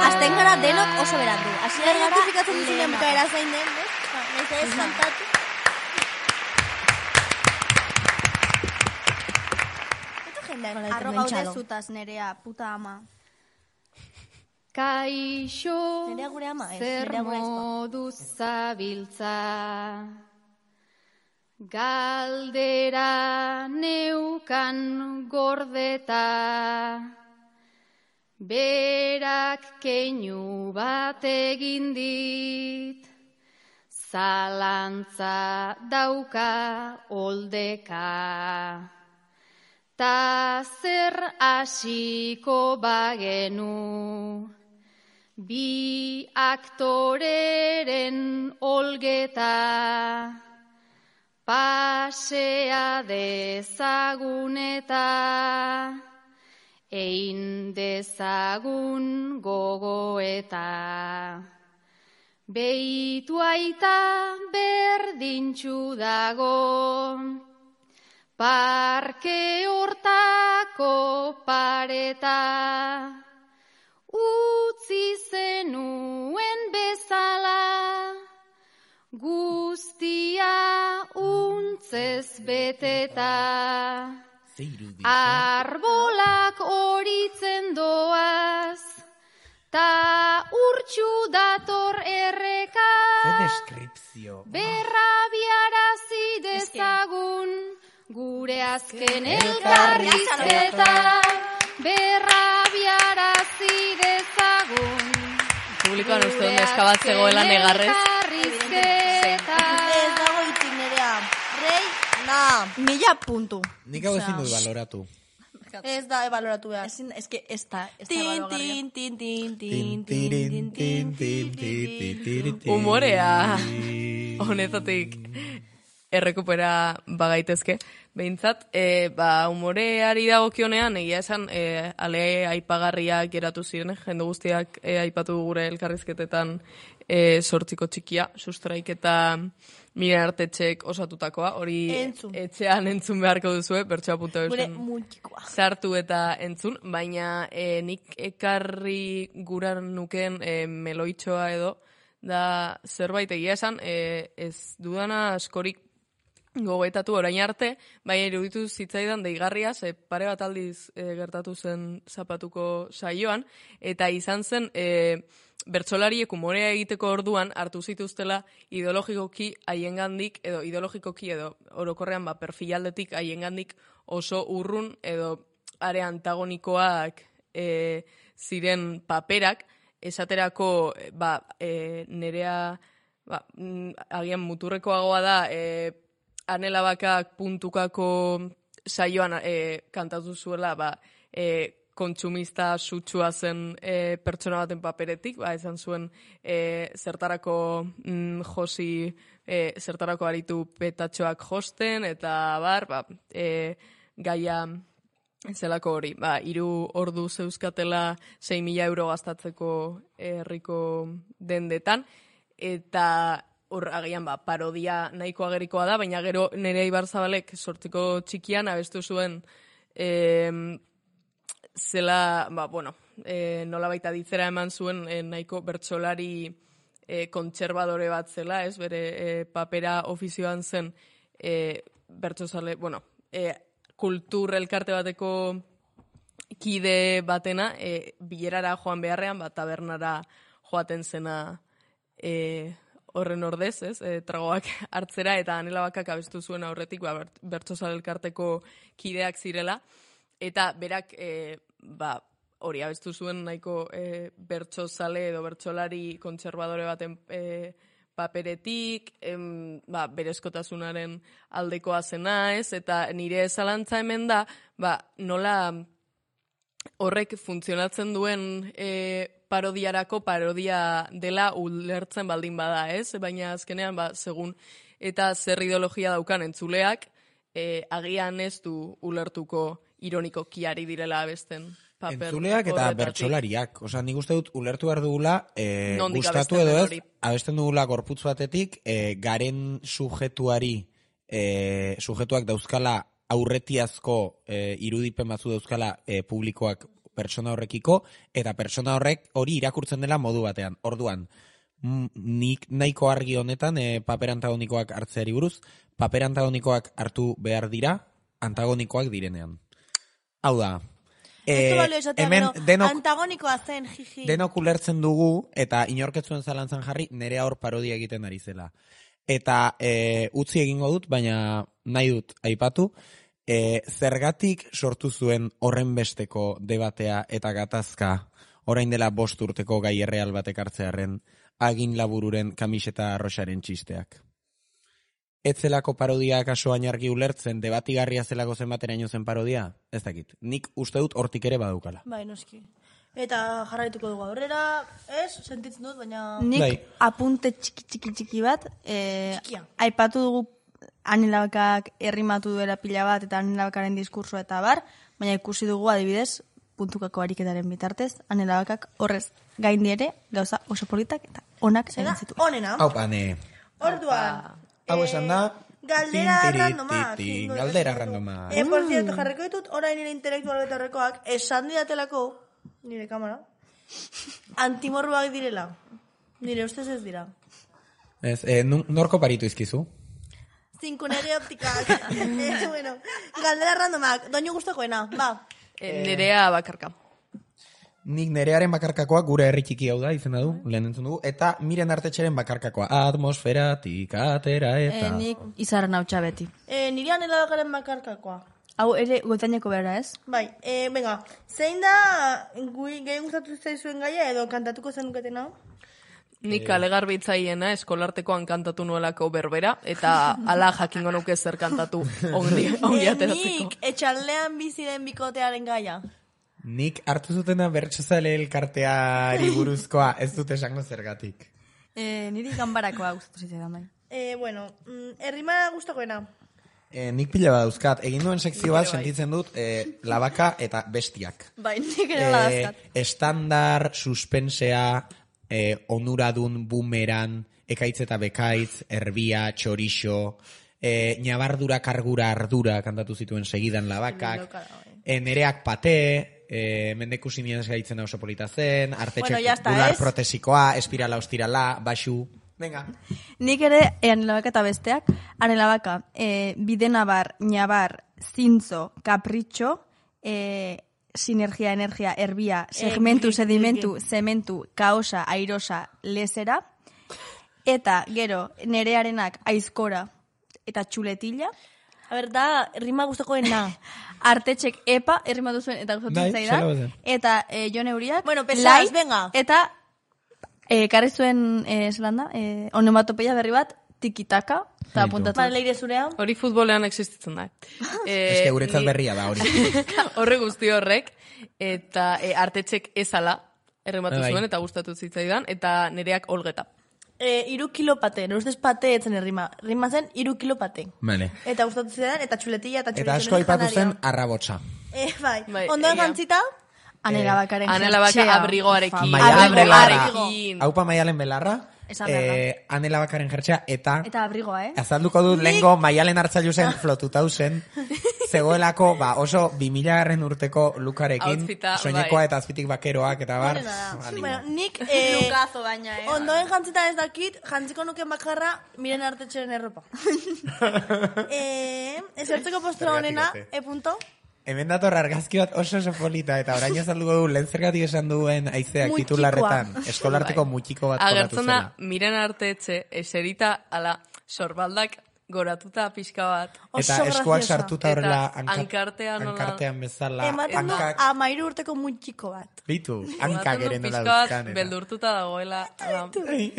Azten gara denok oso berandu. Asi identifikatzen duzunen bukaera zein den, ez ez kantatu. Arro gaude zutaz, Nerea, puta ama. Kaixo, zer moduz zabiltza, galdera neukan gordeta, berak keinu bat egin dit, zalantza dauka oldeka. Ta zer hasiko bagenu, Bi aktoreren olgeta, pasea dezagun eta ein dezagun gogoeta. Beitu aita berdintxu dago, parke hortako pareta, utzi zenuen bezala, guztia untzez beteta. Arbolak horitzen doaz, ta urtsu dator erreka. Berrabiarazi dezagun, gure azken elkarrizketa. Berrabiarazi dezagun, publikoan uste dut neskabat zegoela negarrez. Ez dago itzik nerea. Rei, na. 1000 puntu. Nik hau ezin dut baloratu. Ez da ebaloratu behar. Ez que ez da Humorea honetatik errekupera bagaitezke. Behintzat, humoreari dagokionean, egia esan, ale aipagarriak geratu ziren, jende guztiak aipatu gure elkarrizketetan sortziko txikia, sustraik eta Miren Artetxek osatutakoa, hori etxean entzun beharko duzue, bertsoa.eusen sartu eta entzun, baina nik ekarri guran nuken meloitxoa edo, da zerbait egia esan, ez dudana askorik gogoetatu orain arte, baina iruditu zitzaidan deigarria, pare bat aldiz gertatu zen zapatuko saioan, eta izan zen bertsolariek humorea egiteko orduan hartu zituztela ideologikoki edo orokorrean perfilaldetik haiengandik oso urrun edo are antagonikoak ziren paperak, esaterako nerea agian muturrekoagoa da Anela Bakak puntukako saioan kantatu zuela kontsumista sutsua zen pertsona baten paperetik, izan zuen zertarako josi, zertarako aritu petatxoak josten, eta gaia zelako hori. 3 ordu zeuzkatela 6.000 euro gastatzeko herriko dendetan, eta hor agian parodia nahiko agerikoa da, baina gero Nerea Ibarzabalek sortziko txikian abestu zuen zela, nola baita ditzera eman zuen nahiko bertsolari kontserbadore bat zela, ez, bere papera ofizioan zen bertsozale, kultur elkarte bateko kide batena, bilerara joan beharrean, tabernara joaten zena horren ordez, ez, tragoak hartzera, eta Anela Bakak abestu zuen aurretik, bertsozale elkarteko kideak zirela, eta berak hori abestu zuen nahiko bertsozale edo bertsolari kontserbadore baten paperetik, berezkotasunaren aldekoa zena, ez, eta nire zalantza hemen da, nola horrek funtzionatzen duen parodiarako parodia dela ulertzen baldin bada, ez, baina azkenean, segun eta zer ideologia daukan entzuleak, agian ez du ulertuko ironikoki ari direla abesten paper. Entzuleak eta bertsolariak. Osa, nik uste dut ulertu behar dugula, gustatu edo ez, abesten dugula gorputz batetik, garen sujetuak dauzkala aurretiazko irudipen batzu dauzkala publikoak pertsona horrekiko, eta pertsona horrek hori irakurtzen dela modu batean. Orduan, nik nahiko argi honetan paper antagonikoak hartzeari buruz, paper antagonikoak hartu behar dira, antagonikoak direnean. Hau da, hemen antagonikoa zen, jiji. Denok ulertzen dugu, eta inorketzuen zalantzan jarri, Nerea hor parodia egiten ari zela. Eta utzi egingo dut, baina nahi dut aipatu, zergatik sortu zuen horren besteko debatea eta gatazka, orain dela 5 urteko gai erreal batek hartzearen, Agin Labururen kamiseta arroxaren txisteak. Etzelako parodia kasoan argi ulertzen, debatigarria zelako zenbateraino zen parodia? Ez dakit. Nik uste dut hortik ere badaukala. Noski. Eta jarraituko dugu aurrera, sentitzen dut, baina... Nik apunte txiki bat, aipatu dugu Ane Labakak errimatu duela pila bat, eta Ane Labakaren diskurso eta bar, baina ikusi dugu adibidez, puntukako ariketaren bitartez, Ane Labakak horrez gaindi ere, gauza oso politak eta onak egin zitu. Onena. Hau, Ane. Orduan. Hau esan da... Galdera randomak. Galdera randomak. Por cierto, jarriko ditut, orain nire intelektual eta horrekoak, esan didatelako, nire kamera, antimorruak direla. Nire ustez ez dira. Norko paritu izkizu? Zinkunere optikak. Bueno, galdera randomak. Doinu gustokoena, ba. Nerea bakarka. Nik nerearen bakarkakoa gure herri txiki hau da, izena du, lehen entzun dugu, eta Miren Artetxeren bakarkakoa, atmosferatik atera eta... Nik izarren hau txabeti. Nire Ane Labakaren bakarkakoa. Hau ere gotaineko behar ez? Bai, venga, zein da gehi gustatu zaizuen gaia edo kantatuko zenuketena? Nik alegarbitzaiena eskolartekoan kantatu nuelako berbera, eta ala jakingo nuke zer kantatu ongi ateratzeko. Nik etxaldean bizi den bikotearen gaia. Nik hartu zutena bertsozale elkarteari buruzkoa, ez dut esango zergatik. Niri ganbarakoa gustatu zitzaidan bai. Bueno, errima gustokoena. Nik pila bat dauzkat, egin duen sekzio bat sentitzen dut labaka eta bestiak. Bai, nik ere dauzkat. Estandar, suspensea, onuradun, bumeran, ekaitz eta bekaitz, erbia, txorixo, ñabardura, kargura, ardura, kantatu zituen segidan labakak, nereak pate, mendeku simian gaitzen oso polita zen, artetxek bular protesikoa, espirala, ostirala, baxu... Venga. Nik ere, Ane Labaka eta besteak, Ane Labaka, bidenabar, ñabar, zintzo, kapritxo, sinergia, energia, erbia, segmentu, sedimentu, zementu, kaosa, airosa, lesera, eta gero, nerearenak aizkora eta txuletilla. A ber, da, rima gustokoena. Artetxek epa, errima duzuen eta gustatu zaidan. Eta Jon Euriak, bueno, pesaz, venga. Eta karri zuen, zelan da, onomatopeia berri bat, tikitaka, eta apuntatu. Ba, leire zurea. Hori futbolean existitzen da. Ez que guretzat berria da hori. Horre guzti horrek, eta artetxek ezala, errimatu zuen, eta gustatu zitzaidan, eta nereak olgeta. 3 kilo pate, nire ustez pate etzen errima. Rima zen 3 kilo pate. Vale. Eta gustatu zidan, eta txuletilla, eta txuletilla. Eta asko aipatu zen arrabotsa. Bai. Ondoen gantzita? Ane Labakaren Ane Labaka abrigoarekin. Haupa Maialen Belarra. Ane Labakaren jertxea, eta abrigoa, azalduko dut lehenko Maialen Hartzailu zen flotutau zen, zegoelako oso 2000 urteko lukarekin, soinekoa eta azpitik bakeroak, eta bar. Nik lukazo baina, ondoen jantzita ez dakit, jantziko nuken bakarra Miren Artetxeren erropa. Ezertzeko postura honena, punto? Hemen dator argazki bat oso polita, eta orain azalduko du, lehen zergatik esan duen aizeak titularretan, eskolarteko mutxiko bat kolatu zela. Agertzen da, Miren Artetxe, eserita, ala, sorbaldak goratuta pixka bat. Eta eskuak sartuta horrela hankartean bezala. Ematen du 13 urteko mutxiko bat. Bitu, hankak ere nola duzkan. Beldurtuta dagoela,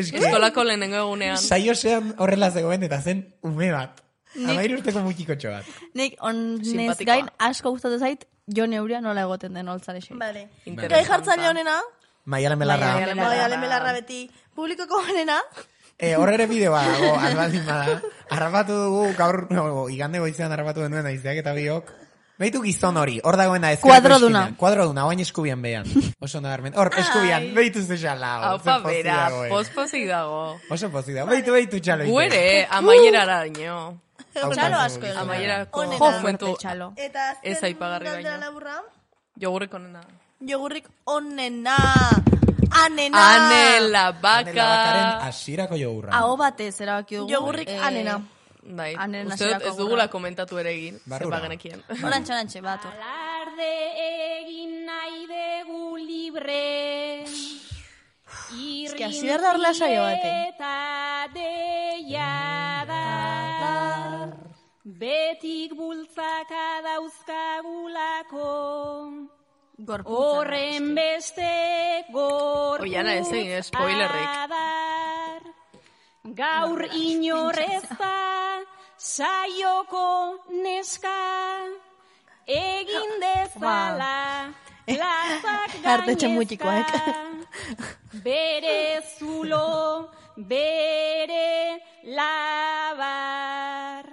eskolako lehenengo egunean. Saiosean horrela zegoen eta zen ume bat. 13 urteko mutxikotxo bat. Nik onez gain asko gustatu zait Jon Euria nola egoten den holtzarexi. Vale. Gai jartzaile honena? Maialen Belarra. Maialen Belarra beti. Publikoko honena? Horrere bideoa dago, albaldin bada. Arrapatu dugu, gaur, igande goizean arrapatu denuen aizeak eta biok. Behitu gizon hori, hor dagoena Kuadroduna. Kuadroduna, oain eskubian behan. Oso nabarmen. Hor, eskubian, behitu zexala. Haupa bera, pospozik dago. Oso pozik dago. Behitu txalo. Guere, amaierara daño. Txalo asko egin. Amaierako momentu ez aipagarri baina. Jogurrik onena. Jogurrik onena. Anena. Ane Labaka. Ane Labakaren asirako jogurra. Aho batez erabaki dugu. Jogurrik anena. Bai, uste dut ez dugula komentatu ere egin. Zepa genekien. Orantxe, bat. Alarde egin nahi dugu libre. Es que así behar darla saio bate. Eta deiadar. Betik bultzaka dauzkagulako. Horren beste gorputz. Oiana ez egin, spoilerrik. Gaur inorezta saioko neska egin dezala plazak Artetxe mutikoak. Bere zulo, bere labar.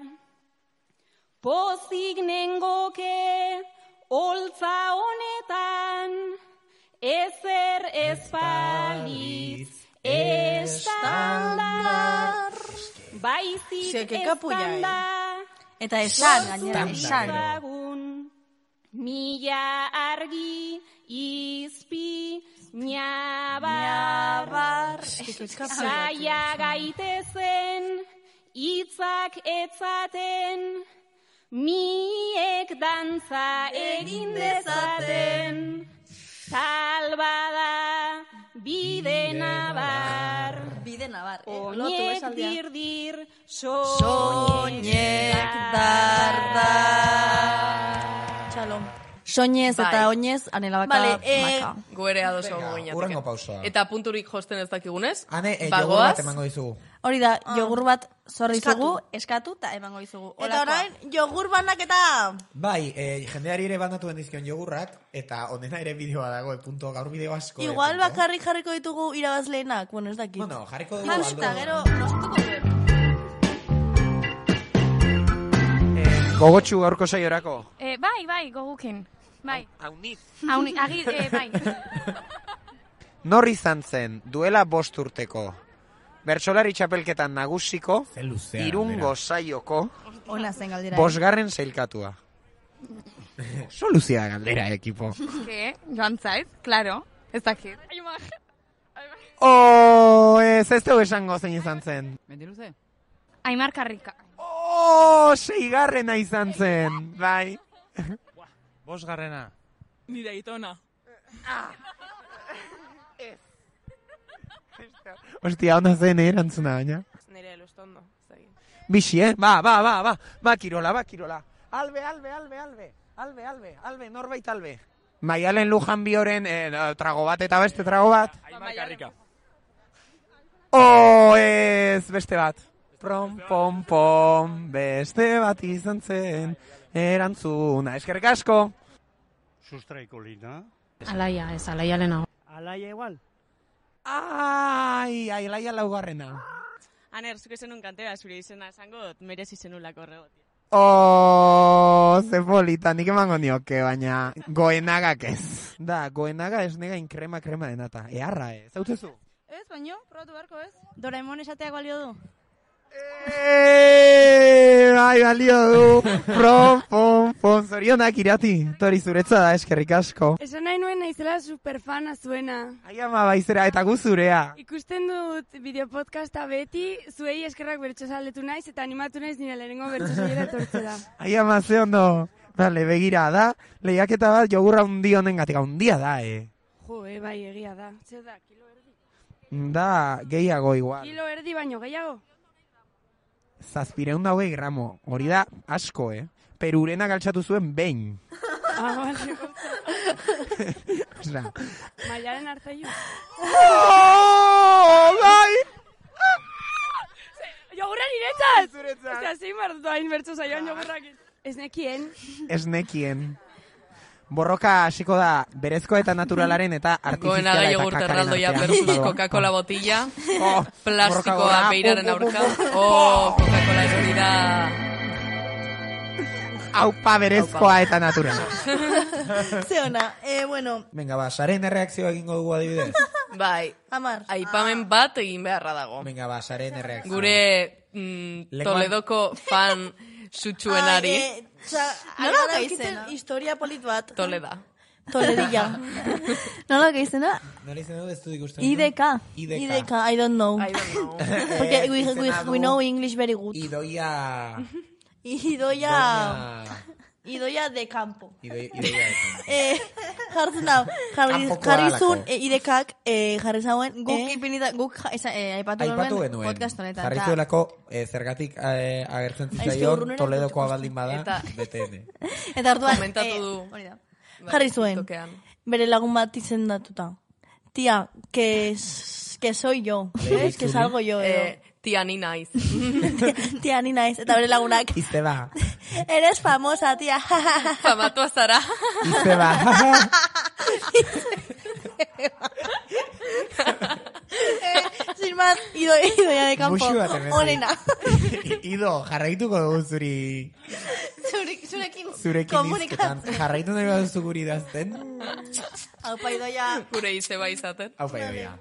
Pozik nengoke holtza honetan, ezer ezpalitz estandar. Baizik estanda. Eta esan, gainera, esan. Mila argi izpi nabar. Saia gaitezen, hitzak etzaten, miek dantza egin dezaten. Talbada bide nabar. Bide nabar, Oiek dirdir, soñek dardar. Txalom. Soñez eta oinez, anela baka maka. Goere adoso goinatik. Urrengo pausoa. Eta punturik josten ez dakigunez. Ane, jogur bat emango dizugu. Hori da, jogur bat zorri zugu, eskatu eta emango dizugu. Eta orain, jogur banaketa! Bai, jendeari ere bandatu bendizkion jogurrak, eta onena ere bideoa dago, punto gaur bideo asko. Igual bakarrik jarriko ditugu irabazleenak, bueno, ez dakit. Bueno, jarriko dugu aldo. Eta gero, nostuko dut. Gogotxu gaurko saiorako? Bai, gogukin. Bai. Aunit. Bai. Nor izan zen, duela 5 urteko, bertsolari txapelketan nagusiko, Irungo saioko, 5. sailkatua. Soluzia galdera, ekipo. Joan zaiz, klaro, ez dakit. Ez dugu esango zein izan zen. Mendiluze? Aimar Karrika. 6. izan zen, bai. 5. Nire aitona. Ostia, onda zen erantzuna, baina. Nire elustondo. Bixi, Ba, kirola. Albe, norbait albe. Maialen Lujan Bioren trago bat eta beste trago bat. Aimar Karrika. Ez, beste bat. Pom, beste bat izan zen, erantzuna. Eskerrik asko. Sustraiko lina. Alaia, ez, alaia lehenago. Alaia igual. Alaia 4. Aner, zuke zenun kantera, zure izena esango, merezi zenulako horregotik. Ze polita, nik emango nioke, baina goenagak ez. Da, goenaga ez negain krema denata. Earra, ez, hau zezu? Ez, baino, probatu beharko ez. Doraemon esateak balio du. Bai, balio du. Pom, zorionak irati. Tori zuretza da, eskerrik asko. Esan nahi nuen naizela superfana zuena. Ai ama baizera, eta gu zurea. Ikusten dut bideopodcasta beti, zuei eskerrak bertxosaletu naiz, eta animatu naiz nire lehenengo bertxosaiera etortze da. Ai ama, ze ondo. Bale, begira da, lehiaketa bat jogurra undi honen gatik, undia da, Jo, bai, egia da. Zer da, kilo erdi? Da, gehiago igual. Kilo erdi baino, gehiago? 720 gramo, hori da asko, Perurena galtzatu zuen behin. Bale. Osea. Mailaren hartzaiu. Bai! Jogurra niretzat! Osea, zein mardutu hain bertso zaioan jogurrakin. Ez nekien. Borroka hasiko da berezko eta naturalaren eta artifiziala eta kakaren artean. Versus Coca-Cola botilla, plastikoa beiraren aurka. Coca-Cola hori da... Aupa berezkoa eta naturala. Zeona, bueno... Venga, ba, saren erreakzioa egingo dugu adibidez. Bai, aipamen bat egin beharra dago. Venga, ba, saren erreakzioa. Gure Toledoko fan sutsuenari. Nola gaizena? Historia polit bat. Toledilla. Nola gaizena? Nola izena ez dut ikusten. IDK, I don't know. Porque we know English very good. Idoia de campo. Jartzen da, jarri zuen idekak, jarri zauen, guk aipatu genuen podcast honetan. Jarri zuelako zergatik agertzen zitzaion Toledokoa baldin bada, BTN. Eta orduan, komentatu du. Jarri zuen, bere lagun bat izendatuta. Tia, que soy yo, que salgo yo, Tia ni naiz. Tia ni naiz. Eta bere lagunak. Izeba. Eres famosa, tia. Famatua zara. Izeba. Idoia de campo. Muxu bat hemen. Onena. Ido, jarraituko dugu zurekin izketan. Jarraitu nahi baduzu guri idazten. Aupa, Idoia. Gure izeba izaten. Aupa, Idoia.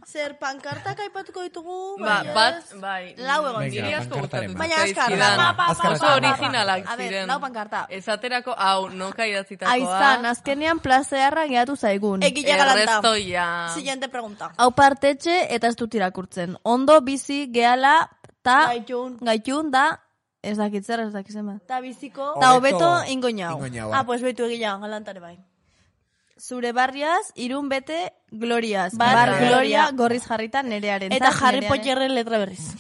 Zer, pankartak aipatuko ditugu? Bai. Lau egon. Niri asko gustatu. Baina azkar. Oso originalak ziren. A ver, lau pankarta. Esaterako, hau, noka idatzitakoa. Aizan, azkenean plazearra gehiatu zaigun. Egila galanta. Errestoia. Siguiente pregunta. Hau partetxe eta ez dut irakurtzen. Ondo bizi gehala ta gaitun da, ez dakitzer, ez dakitzen bat. Ta biziko. Ta hobeto ingoinau. Pues betu egila galantare bai. Zure barriaz, irun bete gloriaz. Bar gloria gorriz jarrita nerearen. Eta Harry Potterren letra berriz.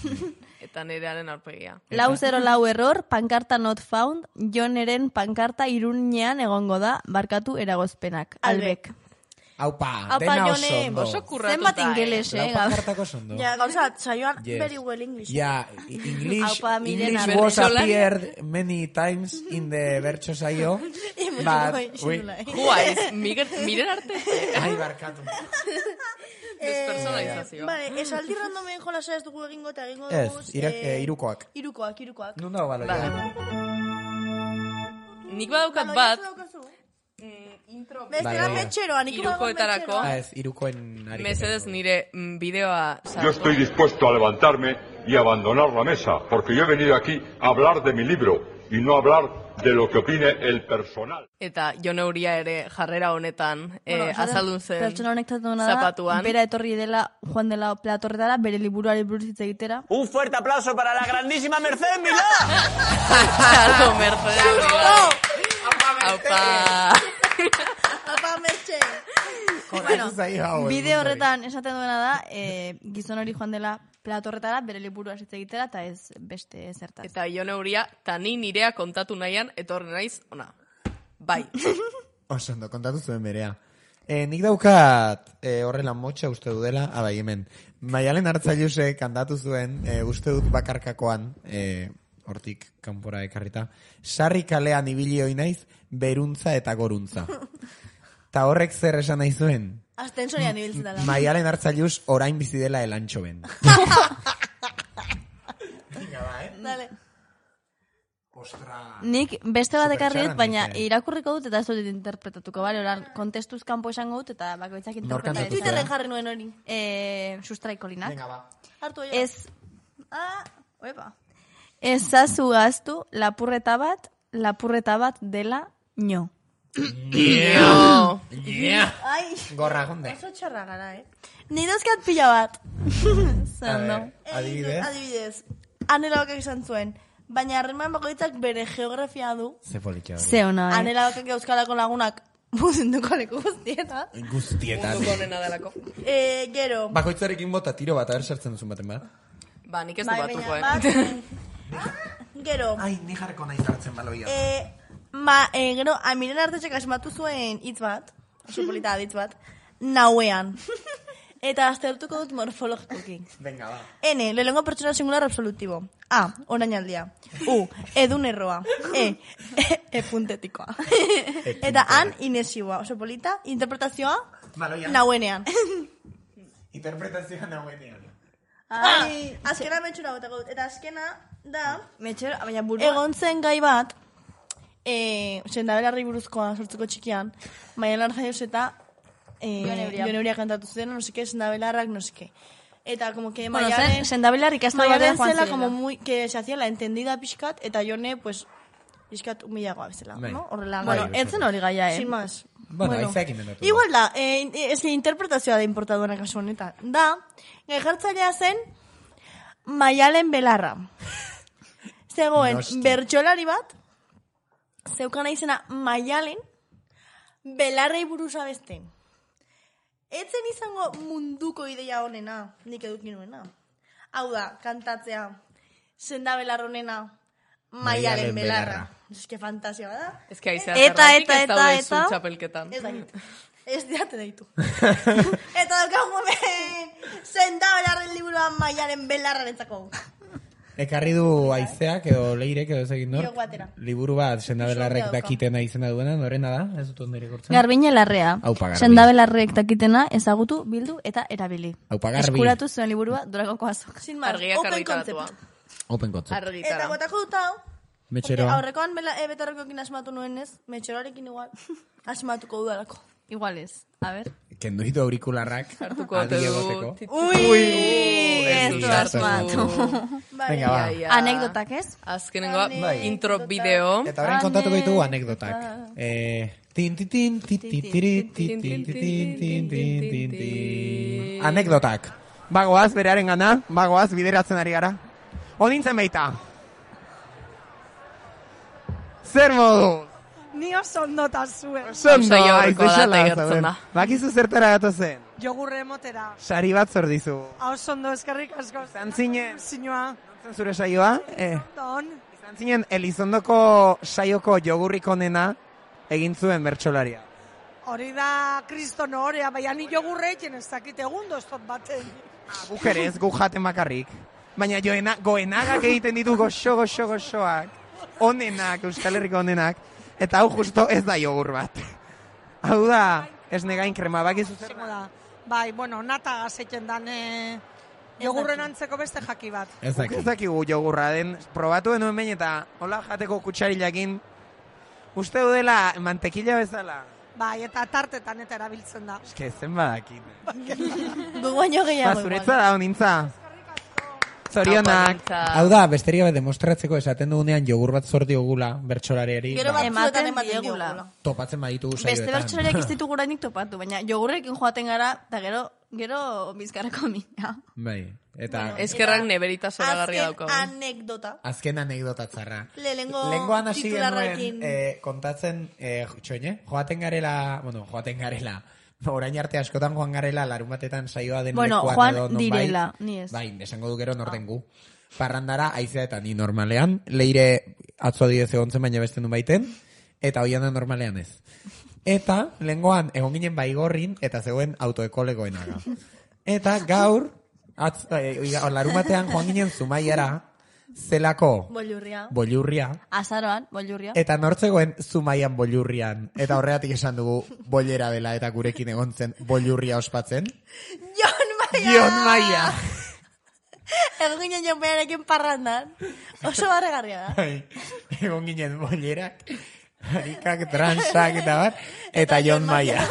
Eta nerearen aurpegia. 404 error, pankarta not found, Joneren pankarta irunean egongo da, barkatu eragozpenak. Albek. Aupa, dena oso ondo. Oso kurratuta. Zenbat ingeles, Lau pankartako ondo. Ja, gauza, saioan very well English. Ja, English was appeared many times in the bertso saio. But, Juaiz, miren arte. Ai, barkatu. Despersonalizazio. Vale, esaldi randomen jolasa ez dugu egingo eta egingo dugu... Ez, irukoak. Irukoak. Nun dago baloia? Nik badaukat bat... Bestera metxeroan, irukoetarako. Ez, irukoen ari. Mesedez nire bideoa... Yo estoy dispuesto a levantarme y abandonar la mesa, porque yo he venido aquí a hablar de mi libro y no a hablar de lo que opine el personal. Eta Jon Euria ere jarrera honetan azaldun zen pertsona honek zapatuan. Bera etorri dela, Juan dela Platorretara, bere liburuari buruz hitz egitera. Un fuerte aplauso para la grandísima Mercedes Milá. Claro, Mercedes Milá. Aupa. Apa, Mertxe. Bueno, bideo horretan esaten duena da, gizon hori joan dela Platorretara, bere liburua hitz egitera, eta ez beste zertaz. Eta Jon Euria, ta ni nirea kontatu nahian, etorri naiz, ona. Bai. Osondo, kontatu zuen berea. Nik daukat horrela motxa uste dudela, abai hemen. Maialen Hartzailusek kantatu zuen, uste dut bakarkakoan, hortik kanpora ekarrita, sarri kalean ibili hoi naiz, beruntza eta goruntza. Ta horrek zer esan nahi zuen? Astensorian ibiltzen dela. Maialen Hartzailus orain bizi dela elantxo ben. Dale. Nik beste bat ekarriet, baina irakurriko dut eta ez dut interpretatuko, bale? Oran, kontestuz kanpo esango dut eta bakoitzak interpretatzen. Twitterren jarri nuen hori. Sustraikolinak. Venga, ba. Hartu Ez... Oepa. Ezazu gaztu lapurreta bat dela nio. Ai, gorra gonde. oso txarra gara, Ni dozkat pila bat. Zando. Adibidez. Anela bakak izan zuen. Baina harreman bakoitzak bere geografia du. Ze politxo. Ze ona, Anela bakak euskalako lagunak munduko leku guztietan. Guztietan. Munduko nena delako. Gero. Bakoitzarekin bota tiro bat, sartzen duzun baten bat. Ba, nik ez du batuko, Gero. Ai, ni jarreko nahi zartzen baloia. Gero, Miren Artetxek asmatu zuen hitz bat, oso polita hitz bat, nauean. Eta aztertuko dut morfologikoki. Venga, ba. N, lehenengo pertsona singular absolutibo. A, orainaldia. U, edun erroa. E puntetikoa. Eta han, inesioa. Oso polita, interpretazioa, nauenean. Interpretazioa nauenean. Azkena metxura botako dut. Eta azkena da, baina burua. egon zen gai bat, sendabelarri buruzkoa sortzeko txikian, Maialen Hartzaius eta Jon Euria kantatu zuen, no seke, sendabelarrak, no seke. Eta como que Maialen... sendabelarrik ez da batean joan zela, como muy, que se hacía la entendida pixkat, eta Jone, pues, pixkat humilagoa bezala, no? Horrela. Bueno, entzen hori gaia, Sin más. Bueno, aizak indendatu. Igual da, ez que interpretazioa da importaduena kasu honetan. Da, gai jartzailea zen Maialen Belarra. Zegoen, bertsolari bat, zeukana izena Maialen Belarrei buruz abesten. Etzen izango munduko ideia honena, nik edukin nuena. Hau da, kantatzea, senda belarronena, Maialen Belarra. Ez que fantasia bada. Ez que aizea zerratik ez daude zutxapelketan. Ez dakit. Ez diate daitu. Eta daukagu hemen, senda belarren liburuan Maialen Belarrarentzako. Ekarri du aizeak edo leirek edo ez egin nor. Liburu bat sendabelarrek dakitena izena duena, norena da? Ez dut onderi gortzen. Garbine Larrea. Sendabelarrek dakitena ezagutu, bildu eta erabili. Aupa Garbi. Eskuratu zuen liburua Durangoko azok. Sin más, open concept. Open concept. Eta gotako dut hau. Metxeroa. Aurrekoan betarrekoekin asmatu nuenez, metxeroarekin igual asmatuko dudalako. Igual ez. A ver. Kendu hitu aurikularrak. Hartuko egoteko. Ui! Ez du asmatu. Venga, ba. Anekdotak ez? Azkenengoa, intro bideo. Eta orain kontatuko ditugu anekdotak. Anekdotak. Bagoaz, berearen gana, bagoaz, bideratzen ari gara. Onintzen baita. Zer modu? Ni oso ondota zuen. Oso ondo, bakizu zertara gato zen. Jogurre emotera. Sari bat zordizu. Oso ondo, eskerrik asko. Zantzinen. Sinua. Zantzen zure saioa? Don. Zantzinen, Elizondoko saioko jogurrik onena egin zuen bertsolaria. Hori da kriston horea, baina ni jogurre etxen ez dakit egundo ez tot baten. Guk ere ez, guk jaten bakarrik. Baina goenagak egiten ditu goxoak. Onenak, Euskal Herriko onenak. Eta hau justo ez da jogur bat. Hau da, ez negain krema, bakizu zer da? Bai, bueno, nata gazeten dan jogurren antzeko beste jaki bat. Ez dakigu jogurra den, probatu denuen behin eta hola jateko kutsarilakin uste dela mantekila bezala. Bai, eta tartetan eta erabiltzen da. Eske zen badakin. Guaino gehiago. Zuretza da, honintza. Zorionak. Hau da, besteria bat demostratzeko esaten dugunean jogur bat zorti ogula bertsolariari. Gero bat ematen diegula. Topatzen baditu saioetan. Beste bertsolariak ez ditugu orainik topatu, baina jogurrekin joaten gara, eta gero bizkarrako mina. Bai, eta... Eskerrak neberita zoragarria daukagu. Azken anekdota txarra. Lengoan hasi genuen kontatzen, joaten garela, orain arte askotan joan garela larun batetan saioa den lekuan edo nonbait. Bueno, Juan direla, ni ez. Bai, esango du gero norten gu. Parrandara, aizea eta ni normalean, leire atzo adidez egontzen baina beste nun baiten, eta hoian da normalean ez. Eta, lengoan, egon ginen baigorrin, eta zegoen autoekolegoenaga. Eta gaur, larun batean joan ginen Zumaiara, zelako Bollurria. Azaroan, Bollurria. Eta nortzegoen Zumaian Bollurrian. Eta horregatik esan dugu bollera dela eta gurekin egon zen Bollurria ospatzen. Jon Maia! Egon ginen Jon Maiarekin parrandan. Oso barregarria da. Egon ginen bollerak, harikak, transak eta bat, eta Jon Maia.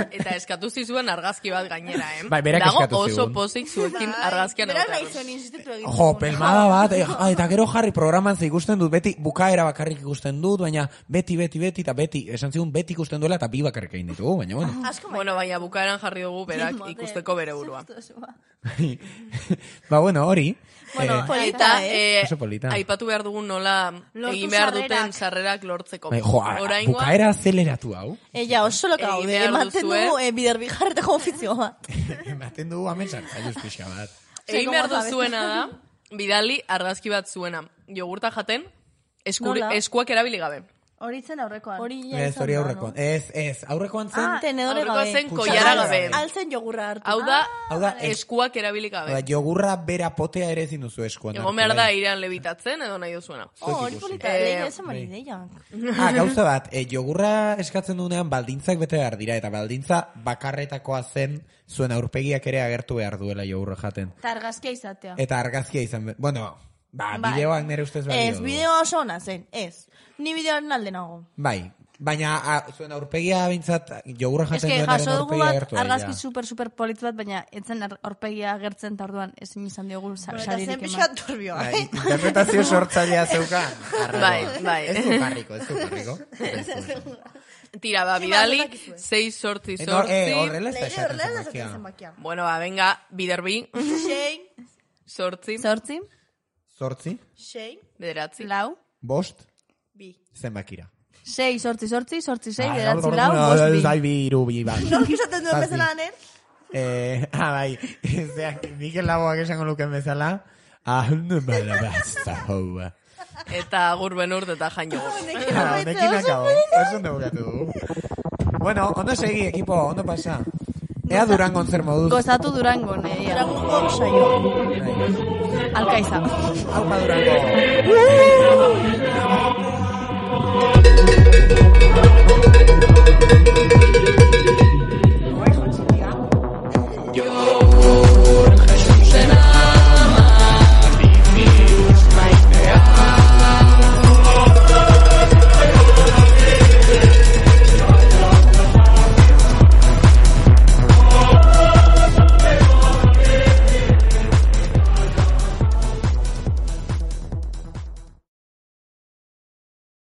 Eta eskatu zizuen argazki bat gainera, Bai, berak eskatu zigun. Dago oso pozik zuekin argazkian egotea. Berak nahi zuen insistitu egin. Jo, pelmada bat, eta gero jarri programan ze ikusten dut, beti bukaera bakarrik ikusten dut, baina beti, eta beti, esan zigun beti ikusten duela eta bi bakarrik egin ditugu, baina bueno. Bueno, baina bukaeran jarri dugu berak ikusteko bere burua. Ba, bueno, hori. Bueno, polita, aipatu behar dugun nola egin behar duten sarrerak lortzeko. Bukaera azeleratu hau. Oso loka gaude, ematen dugu biderbi jarreteko ofizio bat. Ematen dugu hamen sartzailuz pixka bat. Egin behar duzuena da, bidali argazki bat zuena. Jogurta jaten, eskuak erabili gabe. Hori zen aurrekoan. Ez, hori aurrekoan. Ez, aurrekoan zen... Tenedore gabe. Aurrekoan zen koiara gabe. Altzen jogurra hartu. Hau da, eskuak erabili gabe. Jogurra bera potea ere ezin duzu eskuan. Egon behar da irean lebitatzen edo nahi duzuena. Hori polita, lehi esan bari deiak. Gauza bat, jogurra eskatzen duenean baldintzak bete behar dira, eta baldintza bakarretakoa zen zuen aurpegiak ere agertu behar duela jogurra jaten. Eta argazkia izatea. Eta argazkia izan, bueno... bideoak nire ustez balio du. Ez, bideoa oso ona zen, ez. Ni bideoaren alde nago. Bai, baina zuen aurpegia bintzat jogurra jaten duen jaso dugu bat, argazki super politz bat, baina etzen aurpegia agertzen eta orduan ezin izan diogu saririk eman. Zen pixat turbioa, interpretazio sortzailea zeukan. Bai. Ez du parriko. Tira, bidali, 6 sortzi. Horrela ez da esaten zenbakia. Bueno, venga, biderbi. 6. Sortzi. 6. Bederatzi. 4. 5. 2. Zenbakira. 6, sortzi, 6, bederatzi, 4. 5. Zai, 2. Nork izaten duen bezala, nen? Bai, Mikel Laboak esango luken bezala. Eta agur benurt eta jan jogur. Honekin akabo. Eso ondo bukatu dugu. Bueno, ondo segi, equipo, ondo pasa. Ea Durangon zer moduz. Gozatu Durangon, Durango saio. Alkaiza. Aupa Durango.